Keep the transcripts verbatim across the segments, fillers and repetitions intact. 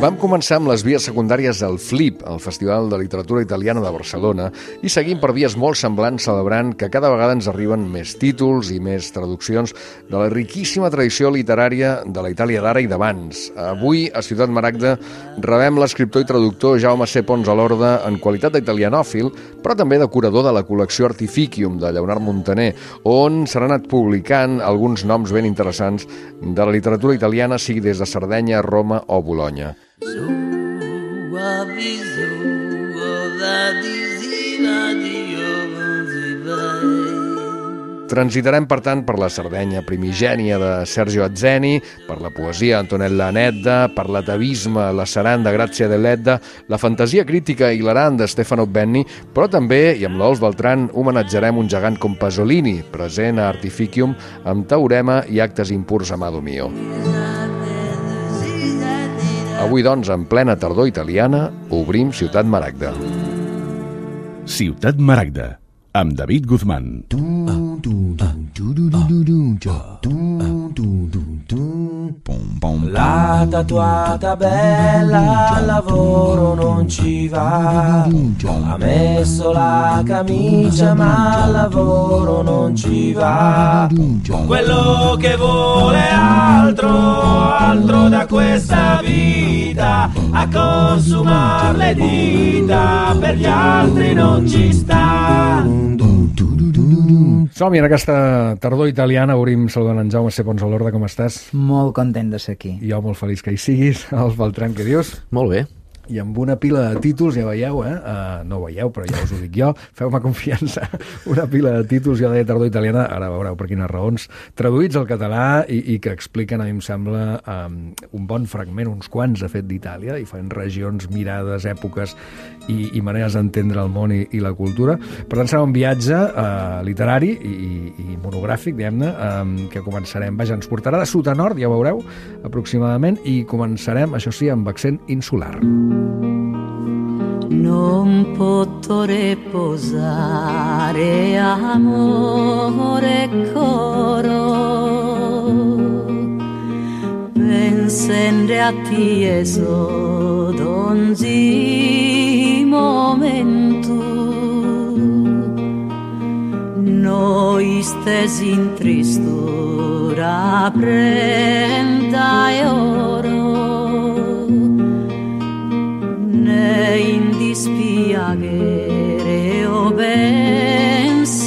Vam començar amb les vies secundàries del Flip, el Festival de Literatura Italiana de Barcelona, i seguim per vies molt semblants celebrant que cada vegada ens arriben més títols i més traduccions de la riquíssima tradició literària de la Itàlia d'ara i d'abans. Avui, a Ciutat Maragda, rebem l'escriptor i traductor Jaume C. Pons a l'Orde en qualitat d'italianòfil, però també de curador de la col·lecció Artificium de Lleonard Montaner, on s'han anat publicant alguns noms ben interessants de la literatura italiana, sigui des de Sardenya, Roma o Bologna. Transitarem, per tant, per la Sardenya primigènia de Sergio Atzeni, per la poesia Antonella Nedda, per l'atavisme La Saranda Grazia dell'Edda, la fantasia crítica hilarant de Stefano Benni, però també, i amb l'Ols Beltran, homenatjarem un gegant com Pasolini, present a Artificium, amb teorema i actes impurs Amado Mio. Avui, doncs, en plena tardor italiana, obrim Ciutat Maragda. Ciutat Maragda, amb David Guzmán. La tatuata bella al lavoro non ci va, ha messo la camicia ma al lavoro non ci va, quello che vuole altro, altro da questa vita, a consumar le dita, per gli altri non ci sta. Som-hi, en aquesta tardor italiana obrim saludant en Jaume C. Pons a l'Orde. Com estàs? Molt content de ser aquí. Jo molt feliç que hi siguis. Els Beltran, què dius? Molt bé. I amb una pila de títols, ja veieu, eh? Uh, no ho veieu, però ja us ho dic jo, feu-me confiança, una pila de títols, jo deia tardor italiana, ara veureu per quines raons, traduïts al català i, i que expliquen, a mi em sembla, um, un bon fragment, uns quants, de fet, d'Itàlia, diferents regions, mirades, èpoques i, i maneres d'entendre el món i, i la cultura. Per tant, serà un viatge uh, literari i, i monogràfic, diguem-ne, um, que començarem, vaja, ens portarà de sud a nord, ja veureu, aproximadament, i començarem, això sí, amb accent insular. Non potrò riposare, amore coro, pensando a tieso d'ogni momento, noi stesi in tristura prenda e oro, in dispiacere o pensamento.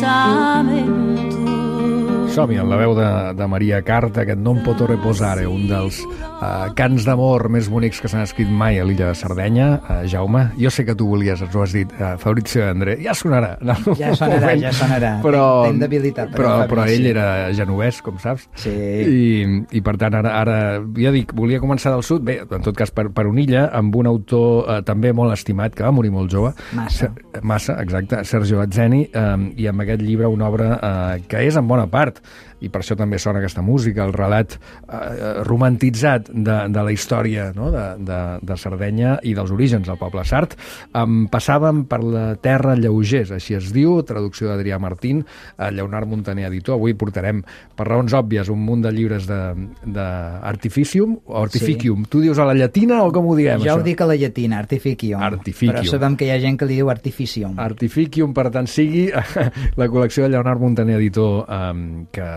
Som-hi, en la veu de, de Maria Carta, aquest Non potrò reposare, un dels uh, cants d'amor més bonics que s'han escrit mai a l'illa de Sardenya. Uh, Jaume, jo sé que tu volies, ens ho has dit, uh, Fabrizio André, ja sonarà. No? Ja sonarà, ja sonarà. Però, Ten debilitat. Però, però ell era genovès, com saps. Sí. I, i per tant, ara, ara, ja dic, volia començar del sud, bé, en tot cas per, per una illa, amb un autor uh, també molt estimat, que va morir molt jove. Massa. Ser, massa, exacte, Sergio Atzeni, um, i amb aquest llibre una obra uh, que és en bona part, i per això també sona aquesta música, el relat eh, romantitzat de, de la història, no? de, de, de Sardenya i dels orígens del poble sard. Um, passàvem per la terra lleugers, així es diu, traducció d'Adrià Martín, a Lleonard Montaner, editor. Avui portarem, per raons òbvies, un munt de llibres d'Artificium, o Artificium. Sí. Tu dius a la llatina o com ho diem, jo això? Jo ho dic a la llatina, Artificium. Artificium. Però sabem que hi ha gent que li diu Artificium. Artificium, per tant, sigui la col·lecció de Lleonard Montaner, editor, um, que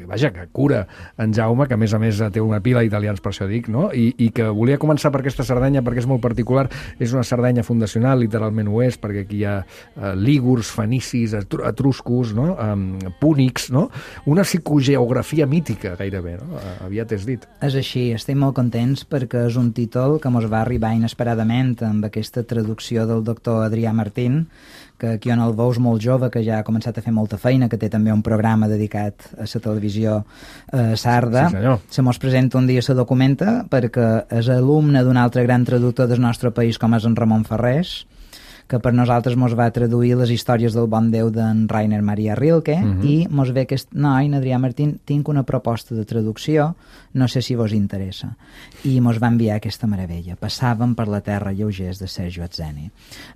vaja, que cura en Jaume, que a més a més té una pila d'italians, per això dic, no? I, i que volia començar per aquesta Sardenya perquè és molt particular, és una Sardenya fundacional, literalment ho és, perquè aquí hi ha uh, lígurs, fenicis, etruscos, no? um, púnics, no? Una psicogeografia mítica, gairebé, no? Uh, aviat és dit. És així, estem molt contents perquè és un títol que mos va arribar inesperadament amb aquesta traducció del doctor Adrià Martín, que aquí on el veus molt jove, que ja ha començat a fer molta feina, que té també un programa dedicat a la televisió eh, sarda. Sí, senyor. Se mos presenta un dia, se documenta, perquè és alumne d'un altre gran traductor del nostre país, com és en Ramon Ferrés, que per nosaltres mos va traduir les històries del bon Déu d'en Rainer Maria Rilke, uh-huh. i mos ve aquest noi, Adrià Martín, tinc una proposta de traducció, no sé si vos interessa. I mos va enviar aquesta meravella. Passàvem per la terra lleugers de Sergio Atzeni.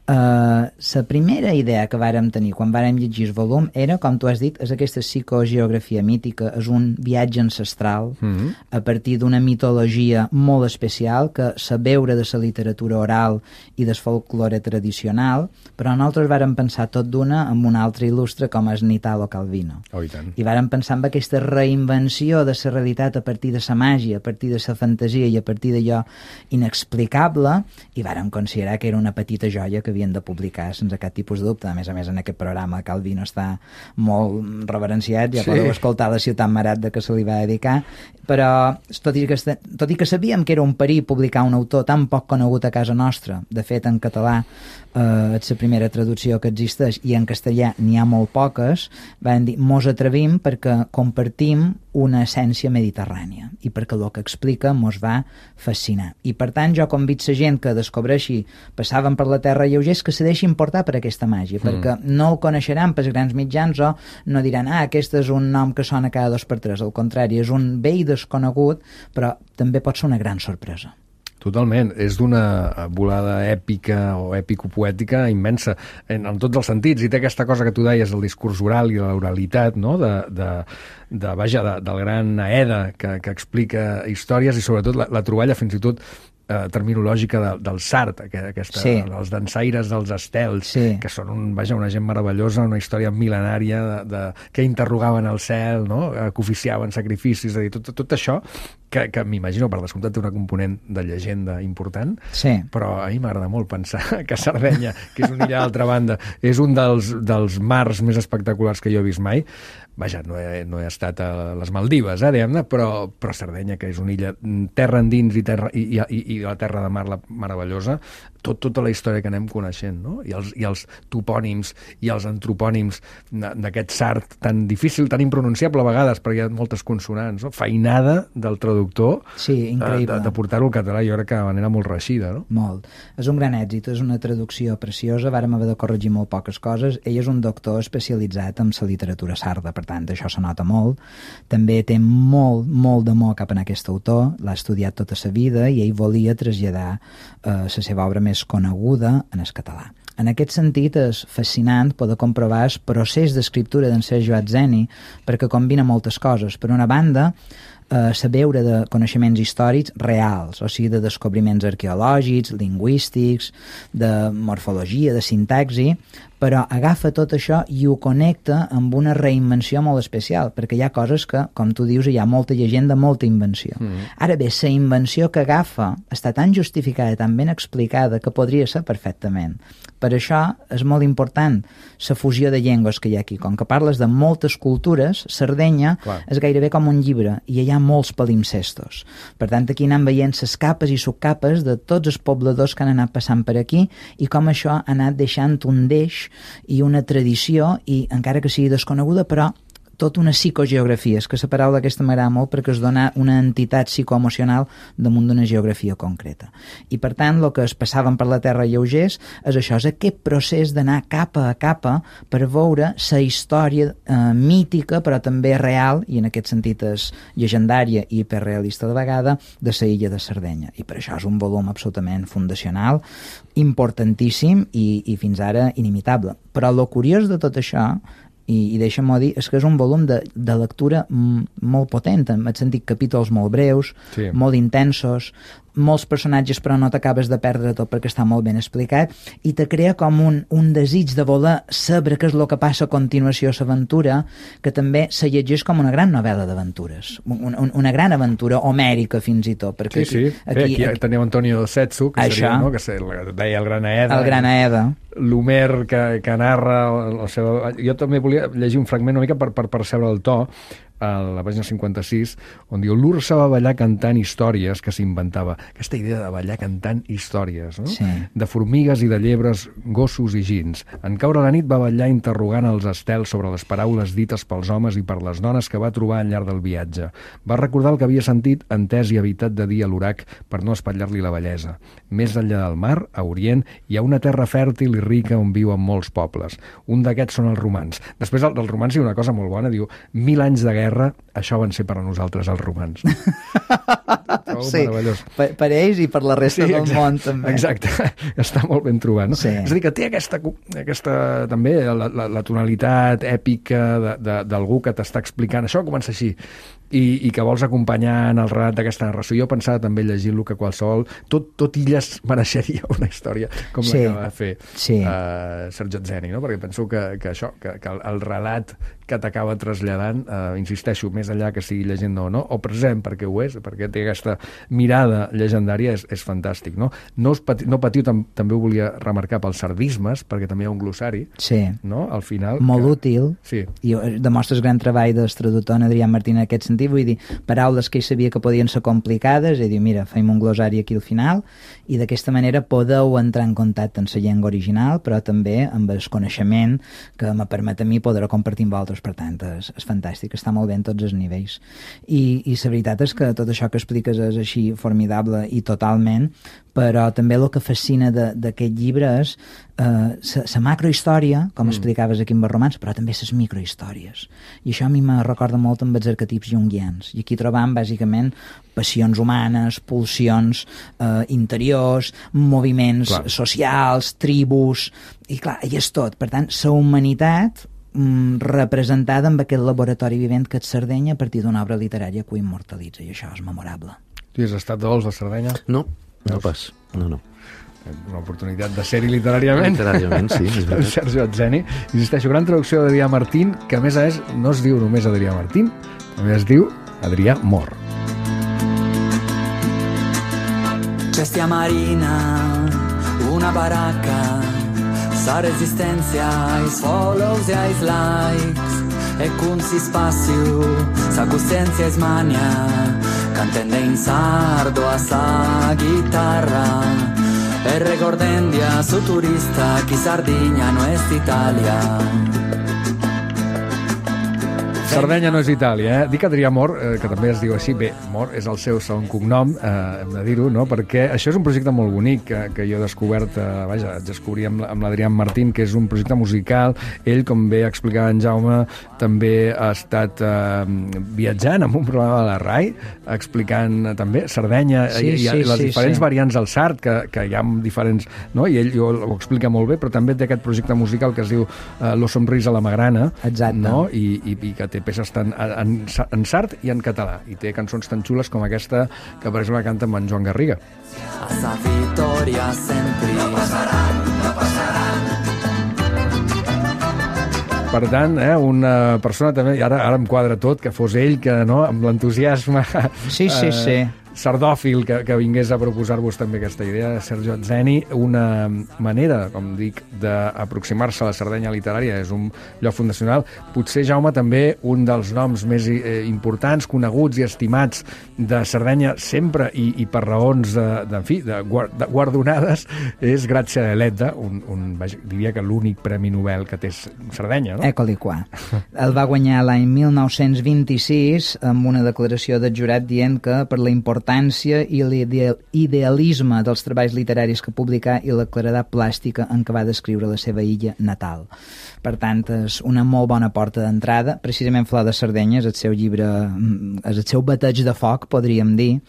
Uh, la primera idea que vàrem tenir quan vàrem llegir el volum era, com tu has dit, és aquesta psicogeografia mítica, és un viatge ancestral uh-huh. a partir d'una mitologia molt especial que se veure de la literatura oral i del folklore tradicional, però nosaltres vàrem pensar tot d'una amb un altre il·lustre com és Italo Calvino. Oh, i tant. I vàrem pensar en aquesta reinvenció de la realitat a partir de la màgia, a partir de la fantasia i a partir d'allò inexplicable, i vàrem considerar que era una petita joia que havien de publicar sense cap tipus de dubte. A més a més, en aquest programa Calvino està molt reverenciat, ja sí. podeu escoltar la Ciutat Marat de què se li va dedicar, però tot i, que, tot i que sabíem que era un perill publicar un autor tan poc conegut a casa nostra, de fet en català eh, és la primera traducció que existeix i en castellà n'hi ha molt poques, van dir, mos atrevim perquè compartim una essència mediterrània i perquè el que explica mos va fascinar. I per tant jo convido la gent que descobreixi Passàvem per la terra lleugers que se deixin portar per aquesta màgia, mm. perquè no el coneixeran pels grans mitjans o no diran, ah, aquest és un nom que sona cada dos per tres, al contrari, és un vell desconegut, però també pot ser una gran sorpresa. Totalment, és d'una volada èpica o èpico-poètica immensa en, en tots els sentits, i té aquesta cosa que tu deies, el discurs oral i l'oralitat, no? de, de, de, vaja, de, del gran Aeda que, que explica històries, i sobretot la, la troballa fins i tot eh, terminològica de, del Sart, aquesta, sí. els dansaires dels estels, sí. que són un, vaja, una gent meravellosa, una història mil·lenària de, de, que interrogaven el cel, no? que oficiaven sacrificis, és a dir, tot, tot això que, que m'imagino, per descomptat, té una component de llegenda important, sí. però a mi m'agrada molt pensar que Sardenya, que és una illa d'altra banda, és un dels, dels mars més espectaculars que jo he vist mai. Vaja, no he, no he estat a les Maldives, eh, diguem-ne, però, però Sardenya, que és una illa terra endins i, terra, i, i, i la terra de mar la, meravellosa, tot, tota la història que anem coneixent, no? I els, i els topònims i els antropònims d'aquest Sart tan difícil, tan impronunciable a vegades, perquè hi ha moltes consonants, no? Feinada del traductor, sí, increïble. de, de portar-ho al català, jo crec que de manera molt reeixida, no? Molt. És un gran èxit, és una traducció preciosa, vàrem haver de corregir molt poques coses. Ell és un doctor especialitzat en la literatura sarda, per tant, això se nota molt. També té molt, molt d'amor cap en aquest autor, l'ha estudiat tota sa vida i ell volia traslladar eh, la seva obra més coneguda en el català. En aquest sentit és fascinant poder comprovar el procés d'escriptura d'en Sergio Atzeni, perquè combina moltes coses. Per una banda, eh, saber de coneixements històrics reals, o sigui, de descobriments arqueològics, lingüístics, de morfologia, de sintaxi, però agafa tot això i ho connecta amb una reinvenció molt especial, perquè hi ha coses que, com tu dius, hi ha molta llegenda, molta invenció. Mm. Ara bé, la invenció que agafa està tan justificada, tan ben explicada, que podria ser perfectament. Per això és molt important la fusió de llengües que hi ha aquí. Com que parles de moltes cultures, Sardenya Clar. És gairebé com un llibre, i hi ha molts palimpsestos. Per tant, aquí anem veient les capes i subcapes de tots els pobladors que han anat passant per aquí i com això ha anat deixant un deix i una tradició, i encara que sigui desconeguda, però tota una psicogeografia. És que la paraula aquesta m'agrada molt perquè es dona una entitat psicoemocional damunt d'una geografia concreta. I per tant, el que es passaven per la terra lleugers és això, és aquest procés d'anar capa a capa per veure la història eh, mítica, però també real, i en aquest sentit és llegendària i hiperrealista de vegada, de la illa de Sardenya. I per això és un volum absolutament fundacional, importantíssim i, i fins ara inimitable. Però el curiós de tot això, i, i deixa'm-ho dir, és que és un volum de, de lectura m, molt potent, en el sentit capítols molt breus, sí. molt intensos, molts personatges però no t'acabes de perdre tot perquè està molt ben explicat, i te crea com un, un desig de voler saber què és el que passa a continuació a l'aventura, que també se llegeix com una gran novel·la d'aventures, un, un, una gran aventura homèrica fins i tot. Perquè sí, sí, aquí, aquí, aquí tenim Antonio Setsu, que això, seria, no? que se, deia el Gran Aeda. El Gran Aeda. L'Homer que, que narra la seva... Jo també volia llegir un fragment una mica per, per percebre el to. a la pàgina cinquanta-sis, on diu l'Ursa va ballar cantant històries que s'inventava. Aquesta idea de ballar cantant històries, no? Sí. De formigues i de llebres, gossos i gins. En caure la nit va ballar interrogant els estels sobre les paraules dites pels homes i per les dones que va trobar al llarg del viatge. Va recordar el que havia sentit, entès i evitat de dir a l'orac per no espatllar-li la bellesa. Més enllà del mar, a Orient, hi ha una terra fèrtil i rica on viuen molts pobles. Un d'aquests són els romans. Després del, del romans hi ha una cosa molt bona, diu, mil anys de guerra, això van ser per a nosaltres els romans. Sí, per, per ells i per la resta sí, del exacte, món també. Exacte, està molt ben trobat, no? Sí. És a dir, que té aquesta, aquesta també, la, la, la tonalitat èpica d'algú que t'està explicant, això comença així, i, i que vols acompanyar en el relat d'aquesta narració. Jo pensava també llegint-lo que qualsevol, tot, tot Illes mereixeria una història com sí. la que va fer sí. uh, Sergio Zeni, no? Perquè penso que, que això, que, que el, el relat que t'acaba traslladant, uh, insisteixo, més enllà que sigui llegenda o no, o present, perquè ho és, perquè té aquesta mirada llegendària, és, és fantàstic, no? No, us pati, no patiu, tam, també ho volia remarcar pels sardismes, perquè també hi ha un glossari, sí. no? Al final. Molt que... útil, sí. i demostres gran treball del traductor Adrià Martín en aquest sentit, vull dir, paraules que ell sabia que podien ser complicades, i diu, mira, fem un glossari aquí al final, i d'aquesta manera podeu entrar en contacte amb la llengua original, però també amb el coneixement que me permet a mi poder compartir amb vosaltres. Per tant, és, és fantàstic, està molt bé en tots els nivells. I, i la veritat és que tot això que expliques és així formidable i totalment, però també el que fascina d'aquest llibre és la uh, macrohistòria, com mm. explicaves aquí amb els romans, però també les microhistòries. I això a mi me recorda molt amb els arquetips junguians. I aquí trobam, bàsicament, passions humanes, pulsions uh, interiors, moviments clar. socials, tribus, i clar, i és tot. Per tant, la humanitat representada amb aquest laboratori vivent que és Sardenya a partir d'una obra literària que ho immortalitza, i això és memorable. Tu has estat de vols a Sardenya? No, no Veus? pas, no, no. Una oportunitat de ser-hi literàriament. Literàriament, sí, és veritat. Sergio Zeni. Insisteixo, gran traducció d'Adrià Martín, que a més a més no es diu només Adrià Martín, també es diu Adrià Mor. Cestia marina, una baracca, sa resistencia ais follows e ais likes, e cum si spassiu sa coscienza es mania, cantende in sardo a sa chitarra, e recordendia su turista chi Sardigna no es Italia. Sardenya no és Itàlia, eh? Dic Adrià Mor, eh, que també es diu així, bé, Mor és el seu segon cognom, eh, hem de dir-ho, no? Perquè això és un projecte molt bonic que, que jo he descobert, eh, vaja, descobrí amb, amb l'Adrià Martín, que és un projecte musical. Ell, com bé explicava en Jaume, també ha estat eh, viatjant amb un programa de la RAI, explicant eh, també Sardenya sí, i, i sí, les sí, diferents sí. variants del sard, que, que hi ha diferents, no? I ell ho, ho explica molt bé, però també té aquest projecte musical que es diu eh, Lo somrís a la magrana, exacte, no? I, i, i que té peces tant en, en sard i en català, i té cançons tan xules com aquesta que per exemple canta amb en Joan Garriga. A sa vittoria sempre no passaran, no passaran. Per tant, eh, una persona també, i ara, ara em quadra tot, que fos ell que, no, amb l'entusiasme sí, sí, eh, sí. sardòfil que, que vingués a proposar-vos també aquesta idea de Sergio Zeni, una manera, com dic, d'aproximar-se a la Sardenya literària, és un lloc fundacional. Potser, Jaume, també un dels noms més eh, importants, coneguts i estimats de Sardenya sempre, i, i per raons de, de, en fi, de, de guardonades, és Grazia Deledda, un, un, diria que l'únic premi Nobel que té Sardenya, no? Ecoli qua. El va guanyar l'any mil nou-cents vint-i-sis amb una declaració del jurat dient que per la importància i l'idealisme dels treballs literaris que publicà i la claredat plàstica en què va descriure la seva illa natal. Per tant, és una molt bona porta d'entrada. Precisament Flor de Sardenya és el seu llibre, és el seu bateig de foc, podríem dir,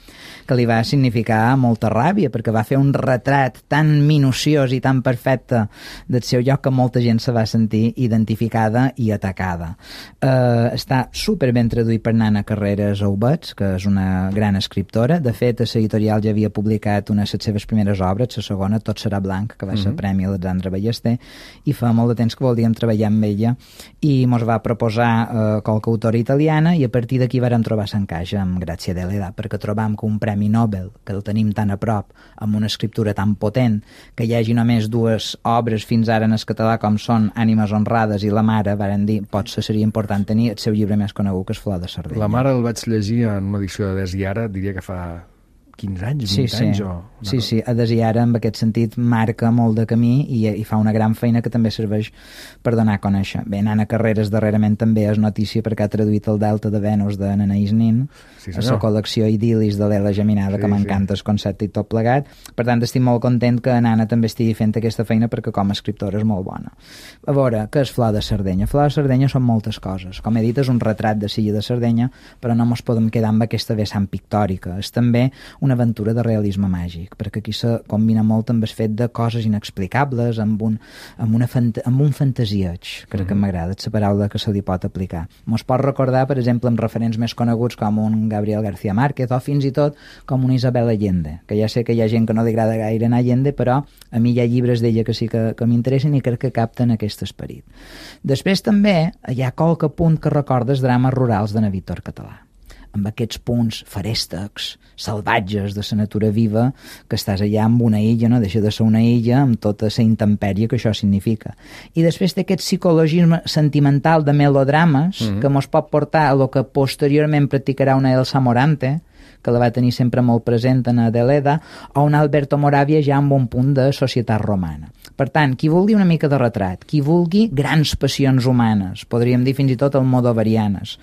que li va significar molta ràbia, perquè va fer un retrat tan minuciós i tan perfecte del seu lloc que molta gent se va sentir identificada i atacada. Eh, està superben traduït per Nana Carreras Aubets, que és una gran escriptora, escriptora. De fet, a l'editorial ja havia publicat una de les seves primeres obres, la segona, Tot serà blanc, que va ser Mhm. Premi Alexandre Ballester, i fa molt de temps que voldríem treballar amb ella, i mos va proposar eh, qualque autora italiana, i a partir d'aquí vàrem trobar l'encaix amb Grazia Deledda, perquè trobam que un Premi Nobel, que el tenim tan a prop, amb una escriptura tan potent, que hi hagi només dues obres fins ara en el català com són Ànimes honrades i La mare, varen dir, potser seria important tenir el seu llibre més conegut, que és Flor de Sardenya. La mare el vaig llegir en una edició de Des i Ara, diria que fa quinze anys, Sí, vint sí. anys o... Sí, sí, a Des i Ara en aquest sentit marca molt de camí i, i fa una gran feina que també serveix per donar a conèixer. Bé, Nana Carreras darrerament també és notícia perquè ha traduït el Delta de Venus de Nanaïs Nin, Sí, a senyor. la col·lecció Idil·lis de l'Ela Geminada, Sí, que m'encanta el concepte i tot plegat. Per tant, estic molt content que Nana també estigui fent aquesta feina perquè com a escriptora és molt bona. A veure, què és Flor de Sardenya? Flor de Sardenya són moltes coses. Com he dit, és un retrat de l'illa de Sardenya, però no ens podem quedar amb aquesta vessant pictòrica. És també una aventura de realisme màgic, perquè aquí se combina molt amb el fet de coses inexplicables, amb un, amb una fant amb un fantasieig, crec que m'agrada, és la paraula que se li pot aplicar. Mos pot recordar, per exemple, amb referents més coneguts com un Gabriel García Márquez o fins i tot com una Isabel Allende, que ja sé que hi ha gent que no li agrada gaire en Allende, però a mi hi ha llibres d'ella que sí que, que m'interessen i crec que capten aquest esperit. Després també hi ha qualque punt que recordes drames rurals de na Víctor Català, amb aquests punts ferèstecs, salvatges de la natura viva, que estàs allà amb una illa, no deixa de ser una illa amb tota la intempèrie que això significa. I després té aquest psicologisme sentimental de melodrames mm-hmm. que mos pot portar a lo que posteriorment practicarà una Elsa Morante, que la va tenir sempre molt present en Adeleda, o un Alberto Moravia ja amb un punt de societat romana. Per tant, qui vulgui una mica de retrat, qui vulgui grans passions humanes, podríem dir fins i tot almodovarianes,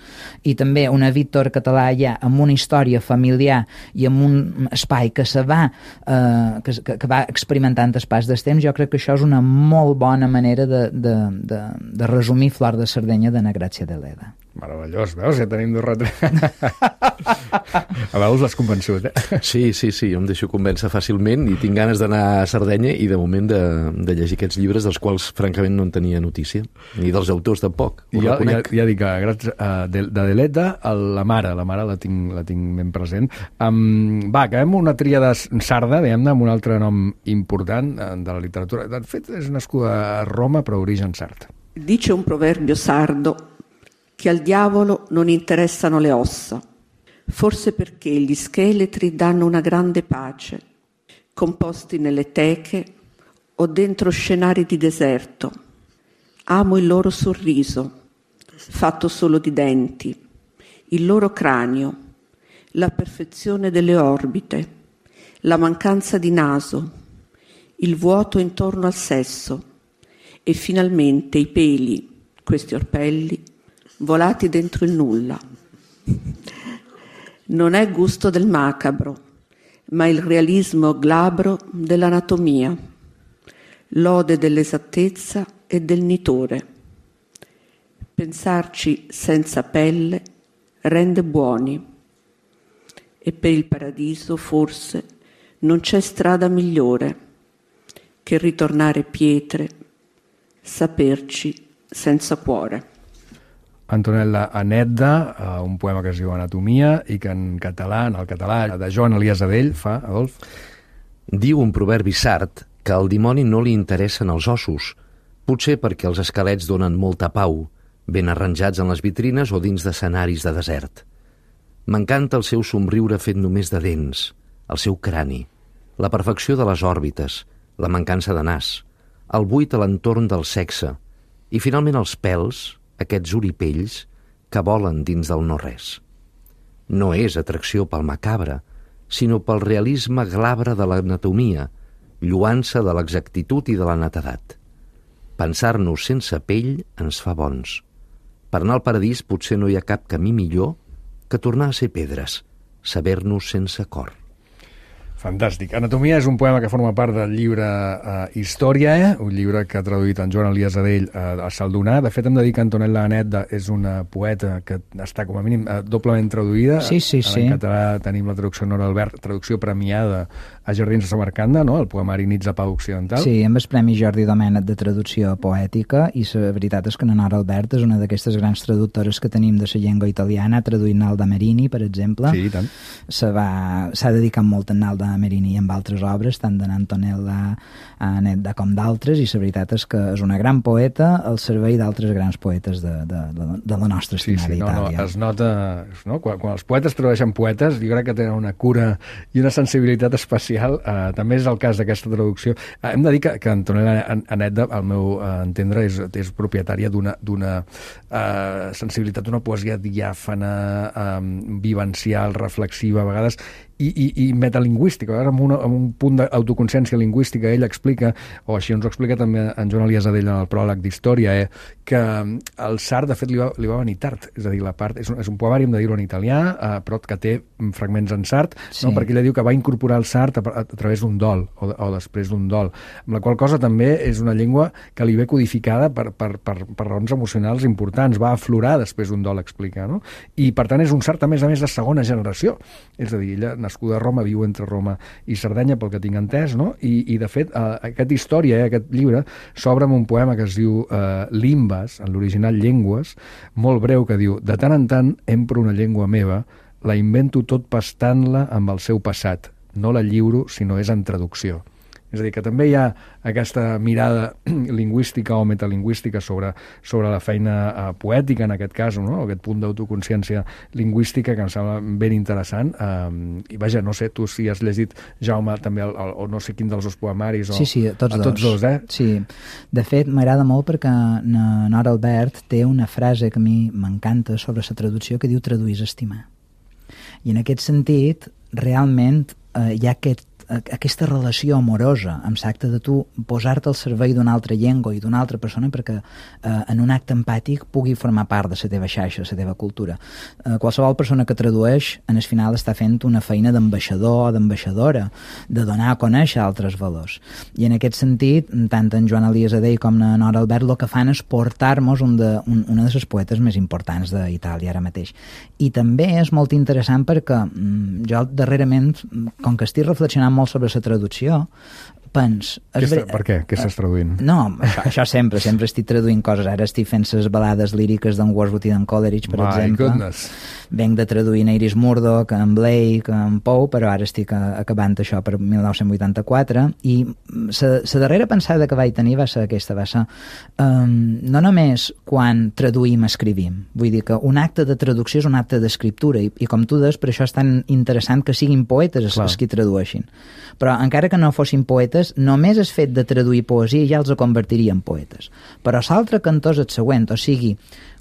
i també una Víctor Català ja amb una història familiar i amb un espai que se va, eh, que, que va experimentant el pas del temps, jo crec que això és una molt bona manera de, de, de, de resumir Flor de Sardenya de na Grazia Deledda. Meravellós, veus? Ja tenim dos retrats. A veus l'has convençut, eh? Sí, sí, sí, jo em deixo convèncer fàcilment i tinc ganes d'anar a Sardenya i de moment de, de llegir aquests llibres dels quals francament no en tenia notícia, ni dels autors tampoc, ho Ja, ja, reconec. ja dic, gràcies a de, de Deleta, a la mare, la mare la tinc, la tinc ben present. Um, va, acabem una tríada sarda, diguem-ne, amb un altre nom important eh, de la literatura. De fet, és nascuda a Roma, però origen sard. Dice un proverbio sardo che al diavolo non interessano le ossa, forse perché gli scheletri danno una grande pace, composti nelle teche o dentro scenari di deserto. Amo il loro sorriso, fatto solo di denti, il loro cranio, la perfezione delle orbite, la mancanza di naso, il vuoto intorno al sesso e finalmente i peli, questi orpelli, volati dentro il nulla. Non è gusto del macabro, ma il realismo glabro dell'anatomia, lode dell'esattezza e del nitore. Pensarci senza pelle rende buoni, e per il paradiso forse non c'è strada migliore che ritornare pietre, saperci senza cuore. Antonella Anedda, uh, un poema que es diu Anatomia i que en català, en el català de Joan Elias Adell, fa, Adolf? Diu un proverbi sard que al dimoni no li interessen els ossos, potser perquè els esquelets donen molta pau, ben arranjats en les vitrines o dins d'escenaris de desert. M'encanta el seu somriure fet només de dents, el seu crani, la perfecció de les òrbites, la mancança de nas, el buit a l'entorn del sexe i finalment els pèls, aquests oripells que volen dins del no-res. No és atracció pel macabre, sinó pel realisme glabre de l'anatomia, lluança de l'exactitud i de la netedat. Pensar-nos sense pell ens fa bons. Per anar al paradís potser no hi ha cap camí millor que tornar a ser pedres, saber-nos sense cor. Fantàstic. Anatomia és un poema que forma part del llibre uh, Història, eh? Un llibre que ha traduït en Joan Elias Adell uh, a Saldonar. De fet, hem de dir que Antonella Anedda és una poeta que està, com a mínim, uh, doblement traduïda. Sí, sí, sí. En català tenim la traducció Nora Albert, traducció premiada a Jardins de Samarcanda, no? El poemari Nits a Pau Occidental. Sí, amb el Premi Jordi Domènech de traducció poètica, i la veritat és que la Nora Albert és una d'aquestes grans traductores que tenim de la llengua italiana, traduint Nalda Merini, per exemple. Sí, i tant. S'ha dedicat molt a Nalda Merini i amb altres obres, tant de Antonella Anedda com d'altres, i la veritat és que és una gran poeta al servei d'altres grans poetes de, de, de, de la nostra estimada sí, sí, no, Itàlia. No, es nota, no? Quan, quan els poetes tradueixen poetes, jo crec que tenen una cura i una sensibilitat especial. Uh, també és el cas d'aquesta traducció. Uh, hem de dir que, que Antonella Anedda, al meu uh, entendre, és, és propietària d'una uh, sensibilitat, d'una poesia diàfana, um, vivencial, reflexiva, a vegades, i, i, i metalingüística, a vegades amb, una, amb un punt d'autoconsciència lingüística. Ell explica, o així ens ho explica també en Joan Elias Adell en el pròleg d'Història, eh, que el Sart, de fet, li va, li va venir tard. És a dir, la part, és, un, és un poemari, hem de dir-ho en italià, eh, però que té fragments en sard, sí. No? Perquè ella diu que va incorporar el Sart a, a, a través d'un dol, o, o després d'un dol. Amb la qual cosa també és una llengua que li ve codificada per, per, per, per raons emocionals importants. Va aflorar després d'un dol, explica, no? I, per tant, és un Sart, a més a més, de segona generació. És a dir, ella, nascuda a Roma, viu entre Roma i Sardenya, pel que tinc entès, no? I, i de fet, eh, aquest Història, eh, aquest llibre, s'obre amb un poema que es diu eh, Limbes, en l'original Llengües, molt breu, que diu: de tant en tant empro una llengua meva, la invento tot pastant-la amb el seu passat, no la lliuro si no és en traducció. És a dir, que també hi ha aquesta mirada lingüística o metalingüística sobre, sobre la feina uh, poètica, en aquest cas, no? Aquest punt d'autoconsciència lingüística que em sembla ben interessant. Um, I vaja, no sé, tu si has llegit, Jaume, també, el, el, o no sé quin dels dos poemaris, o... Sí, sí, tots, a tots dos. dos, eh? Sí, de fet, m'agrada molt perquè Nora Albert té una frase que a mi m'encanta sobre la traducció que diu traduir és estimar. I en aquest sentit, realment, eh, hi ha aquest aquesta relació amorosa amb l'acte de tu posar-te al servei d'una altra llengua i d'una altra persona perquè eh, en un acte empàtic pugui formar part de la teva xarxa, de la teva cultura. Eh, qualsevol persona que tradueix, en el final està fent una feina d'ambaixador o d'ambaixadora, de donar a conèixer altres valors. I en aquest sentit, tant en Joan Elias Adell com en Nora Albert el que fan és portar-nos un de, un, una de les poetes més importants d'Itàlia ara mateix. I també és molt interessant perquè mm, jo darrerament, com que estic reflexionant molt sobre la traducció, pens... Està, per què? Què estàs traduint? No, això, això sempre, sempre estic traduint coses. Ara estic fent les balades líriques d'en Wordsworth i d'en Coleridge, per My exemple. Goodness. Venc de traduir en Iris Murdoch, en Blake, en Poe, però ara estic acabant això per mil nou-cents vuitanta-quatre, i la darrera pensada que vaig tenir va ser aquesta, va ser um, no només quan traduïm, escrivim. Vull dir que un acte de traducció és un acte d'escriptura, i, i com tu des, per això és tan interessant que siguin poetes els, els que tradueixin. Però encara que no fossin poetes, només el fet de traduir poesia ja els convertiria en poetes. Però l'altre cantó és el següent, o sigui,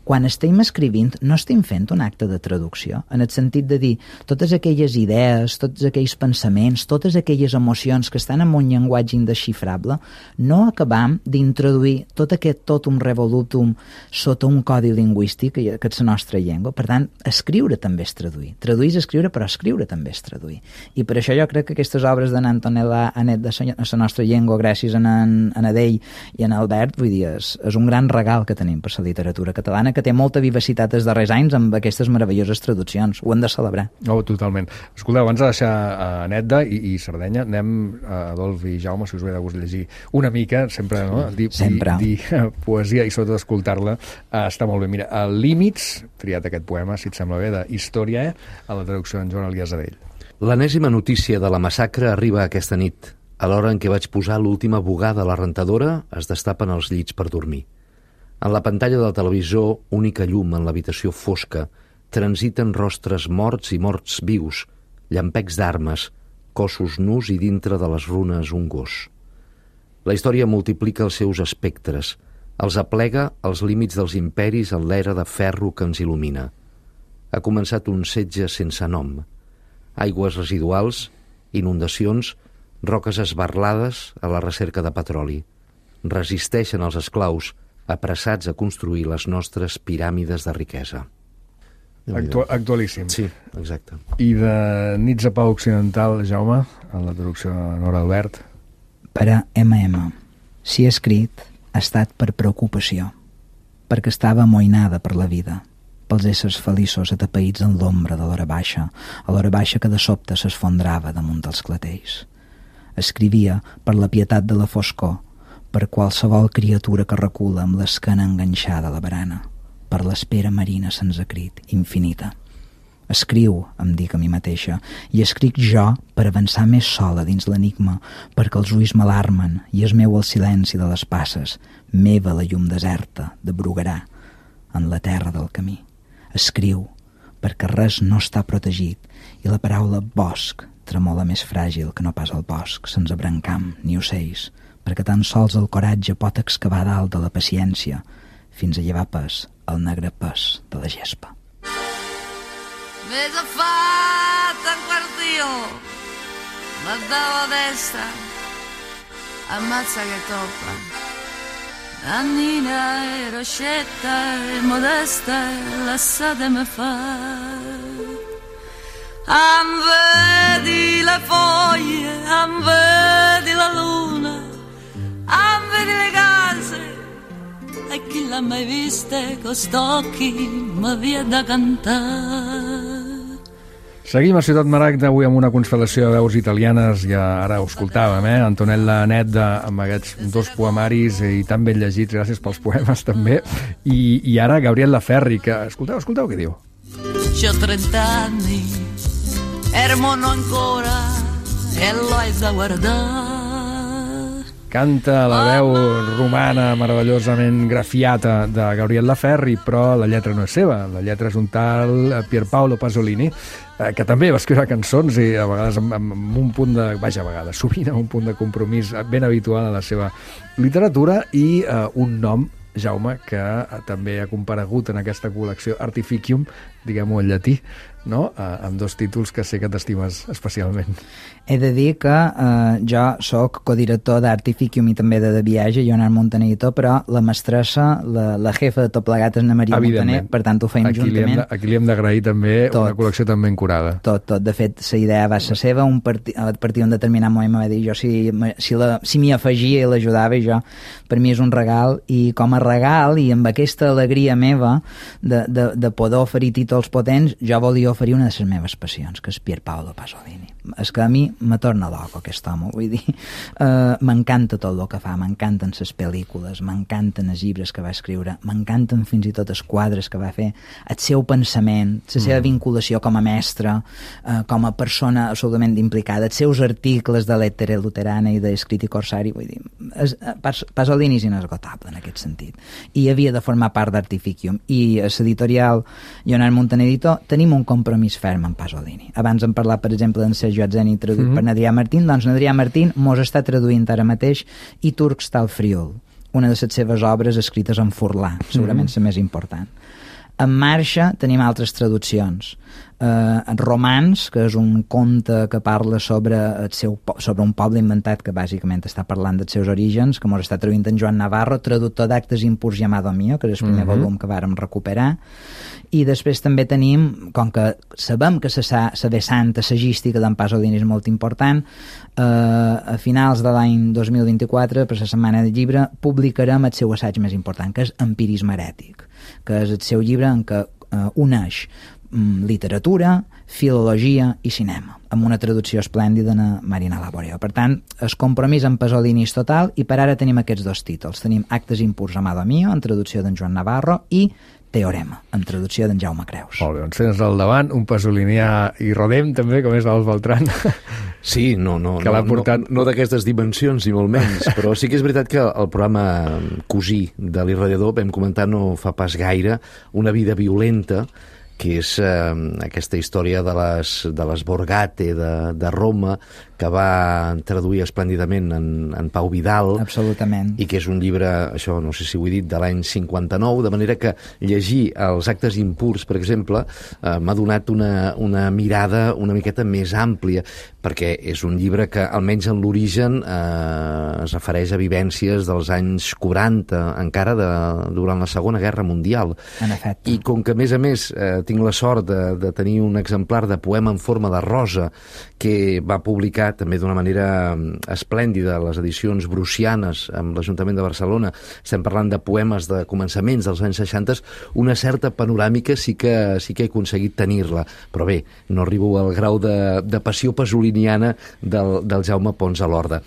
quan estem escrivint no estem fent un acte de traducció, en el sentit de dir totes aquelles idees, tots aquells pensaments, totes aquelles emocions que estan en un llenguatge indesxifrable, no acabam d'introduir tot aquest totum revolutum sota un codi lingüístic que és la nostra llengua. Per tant, escriure també és traduir. Traduir és escriure, però escriure també és traduir. I per això jo crec que aquestes obres d'en Antonella Anedda de la nostra llengua, gràcies a en, en Adell i en Albert, vull dir, és, és un gran regal que tenim per la literatura catalana, que té molta vivacitat els darrers anys amb aquestes meravelloses traduccions. Ho hem de celebrar. Oh, totalment. Escolteu, abans de deixar a Anedda i, i Sardenya, anem a Adolf i Jaume, si us ve de gust llegir una mica, sempre, no? Dir, sempre. Dir, dir poesia i sobretot escoltar-la uh, està molt bé. Mira, el Límits, triat aquest poema, si et sembla bé, de Història, a la traducció d'en Joan Elias Adell. L'enèsima notícia de la massacre arriba aquesta nit. A l'hora en què vaig posar l'última bugada a la rentadora, es destapen els llits per dormir. En la pantalla del televisor, única llum en l'habitació fosca, transiten rostres morts i morts vius, llampecs d'armes, cossos nus i dintre de les runes un gos. La història multiplica els seus espectres, els aplega als límits dels imperis en l'era de ferro que ens il·lumina. Ha començat un setge sense nom. Aigües residuals, inundacions, roques esbarlades a la recerca de petroli. Resisteixen els esclaus, apressats a construir les nostres piràmides de riquesa. Actu actualíssim. Sí, exacte. I de Nits a Pau Occidental, Jaume, en la traducció de Nora Albert? Per a ema ema. Si he escrit, ha estat per preocupació, perquè estava amoïnada per la vida, pels éssers feliços atapeïts en l'ombra de l'hora baixa, a l'hora baixa que de sobte s'esfondrava damunt dels clatells. Escrivia per la pietat de la foscor, per qualsevol criatura que recula amb l'esquena enganxada a la barana, per l'espera marina sense crit, infinita. Escriu, em dic a mi mateixa, i escric jo per avançar més sola dins l'enigma, perquè els ulls m'alarmen i és meu el silenci de les passes, meva la llum deserta de Bruguerà, en la terra del camí. Escriu, perquè res no està protegit i la paraula bosc tremola més fràgil que no pas el bosc, sense brancam ni ocells, perquè tan sols el coratge pot excavar dalt de la paciència fins a llevar pes el negre pes de la gespa. M'he agafat en quartió, la dava destra, ammazza che toppa. Annina e Roscetta e Modesta lasciatemi fare. Am vedi le foglie, am vedi la luna, am vedi le case, e chi l'ha mai viste con st'occhi mi viene da cantare. Seguim a Ciutat Maragda avui amb una constel·lació de veus italianes, ja ara ho escoltàvem, eh? Antonella Nedda amb aquests dos poemaris i tan ben llegits, gràcies pels poemes també, i, i ara Gabriel Laferri, que escolteu, escolteu què diu. C'ho trent'anni, ero mono ancora e l'ho da guardare. Canta la veu romana meravellosament grafiata de Gabriel Laferri, però la lletra no és seva, la lletra és un tal Pierpaolo Pasolini, que també va escriure cançons i a vegades amb, amb un punt de... Vaja, a vegades, sovint amb un punt de compromís ben habitual a la seva literatura i uh, un nom, Jaume, que uh, també ha comparegut en aquesta col·lecció Artificium, diguem-ho en llatí, no? Uh, amb dos títols que sé que t'estimes especialment. He de dir que eh, jo sóc codirector d'Artificium i també de De Viatge, Leonard Montaner, però la mestressa, la, la jefa de tot plegat és Ana Maria Montaner, per tant ho feim aquí juntament. Li de, aquí li hem d'agrair també tot, una col·lecció tan ben curada. Tot, tot. De fet, la idea va ser seva, un parti, a partir d'un determinat moment m'ha dit jo si, si, la, si m'hi afegia i l'ajudava, i jo, per mi és un regal, i com a regal, i amb aquesta alegria meva de, de, de poder oferir títols potents, jo volia oferir una de les meves passions, que és Pierpaolo Pasolini. És que a mi me torna loco aquest home, vull dir, uh, m'encanta tot el que fa, m'encanten les pel·lícules, m'encanten els llibres que va escriure, m'encanten fins i tot els quadres que va fer, el seu pensament, la seva mm. vinculació com a mestre, uh, com a persona absolutament implicada, els seus articles de Lettere Luterana i d'Escritti Corsari, vull dir, és, Pas, Pasolini és inesgotable en aquest sentit, i havia de formar part d'Artificium, i a l'editorial Leonard Montaner Editor tenim un compromís ferm amb Pasolini. Abans hem parlat, per exemple, d'en Sergio Atzeni traduït mm -hmm. per Adrià Martín, doncs Adrià Martín mos està traduint ara mateix I Turc sta al Friül, una de les seves obres escrites en furlà, segurament mm -hmm. la més important. En marxa tenim altres traduccions. Eh, Romans, que és un conte que parla sobre, el seu, sobre un poble inventat que bàsicament està parlant dels seus orígens, que mos està traduint en Joan Navarro, traductor d'Actes impurs llamado mío, que és el primer mm -hmm. volum que vàrem recuperar. I després també tenim, com que sabem que la, la vessant assagística d'en Pasolini és molt important, eh, a finals de l'any dos mil vint-i-quatre, per la Setmana del Llibre, publicarem el seu assaig més important, que és Empirisme herètic, que és el seu llibre en què eh, uneix mm, literatura, filologia i cinema, amb una traducció esplèndida de Marina Laboreo. Per tant, el compromís amb Pasolini és total, i per ara tenim aquests dos títols. Tenim Actes impurs amado mío, en traducció d'en Joan Navarro, i Teorema, en traducció d'en Jaume Creus. Molt bé, doncs tens al davant un pasolinià i rodem també, com és l'Alf Beltran. Sí, no, no, que no, portat... no, no d'aquestes dimensions, ni molt menys, però sí que és veritat que el programa cosí de l'Irradiador vam comentar no fa pas gaire Una vida violenta, que és eh, aquesta història de les, de les Borgate de, de Roma, que va traduir esplèndidament en, en Pau Vidal. Absolutament. I que és un llibre, això no sé si ho he dit, de l'any cinquanta-nou, de manera que llegir Els actes impurs, per exemple, eh, m'ha donat una, una mirada una miqueta més àmplia, perquè és un llibre que, almenys en l'origen, eh, es refereix a vivències dels anys quaranta, encara de, durant la Segona Guerra Mundial. En efecte. I com que, a més a més, eh, tinc la sort de, de tenir un exemplar de poema en forma de rosa que va publicar també d'una manera esplèndida a les edicions Brucianes amb l'Ajuntament de Barcelona, estem parlant de poemes de començaments dels anys seixanta, una certa panoràmica sí que, sí que he aconseguit tenir-la, però bé, no arribo al grau de, de passió pasoliniana del, del Jaume Pons a l'Horda.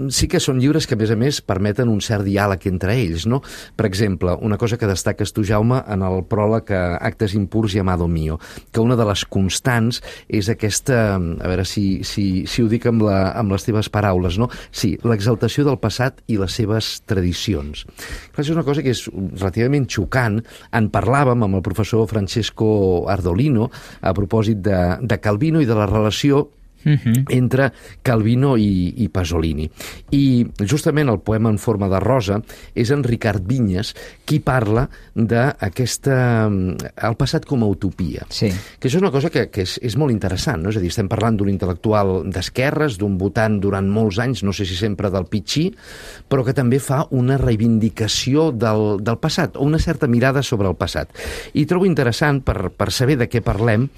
Sí que són llibres que, a més a més, permeten un cert diàleg entre ells, no? Per exemple, una cosa que destaques tu, Jaume, en el pròleg a Actes impurs i Amado Mío, que una de les constants és aquesta, a veure si, si, si ho dic amb, la, amb les teves paraules, no? Sí, l'exaltació del passat i les seves tradicions. Clar, és una cosa que és relativament xocant. En parlàvem amb el professor Francesco Ardolino a propòsit de, de Calvino i de la relació Uh-huh. entre Calvino i, i Pasolini. I justament el poema en forma de rosa és en Ricard Vinyes qui parla d'aquesta... el passat com a utopia. Sí. Que això és una cosa que, que és, és molt interessant, no? És a dir, estem parlant d'un intel·lectual d'esquerres, d'un votant durant molts anys, no sé si sempre del Pitxí, però que també fa una reivindicació del, del passat, o una certa mirada sobre el passat. I trobo interessant, per, per saber de què parlem,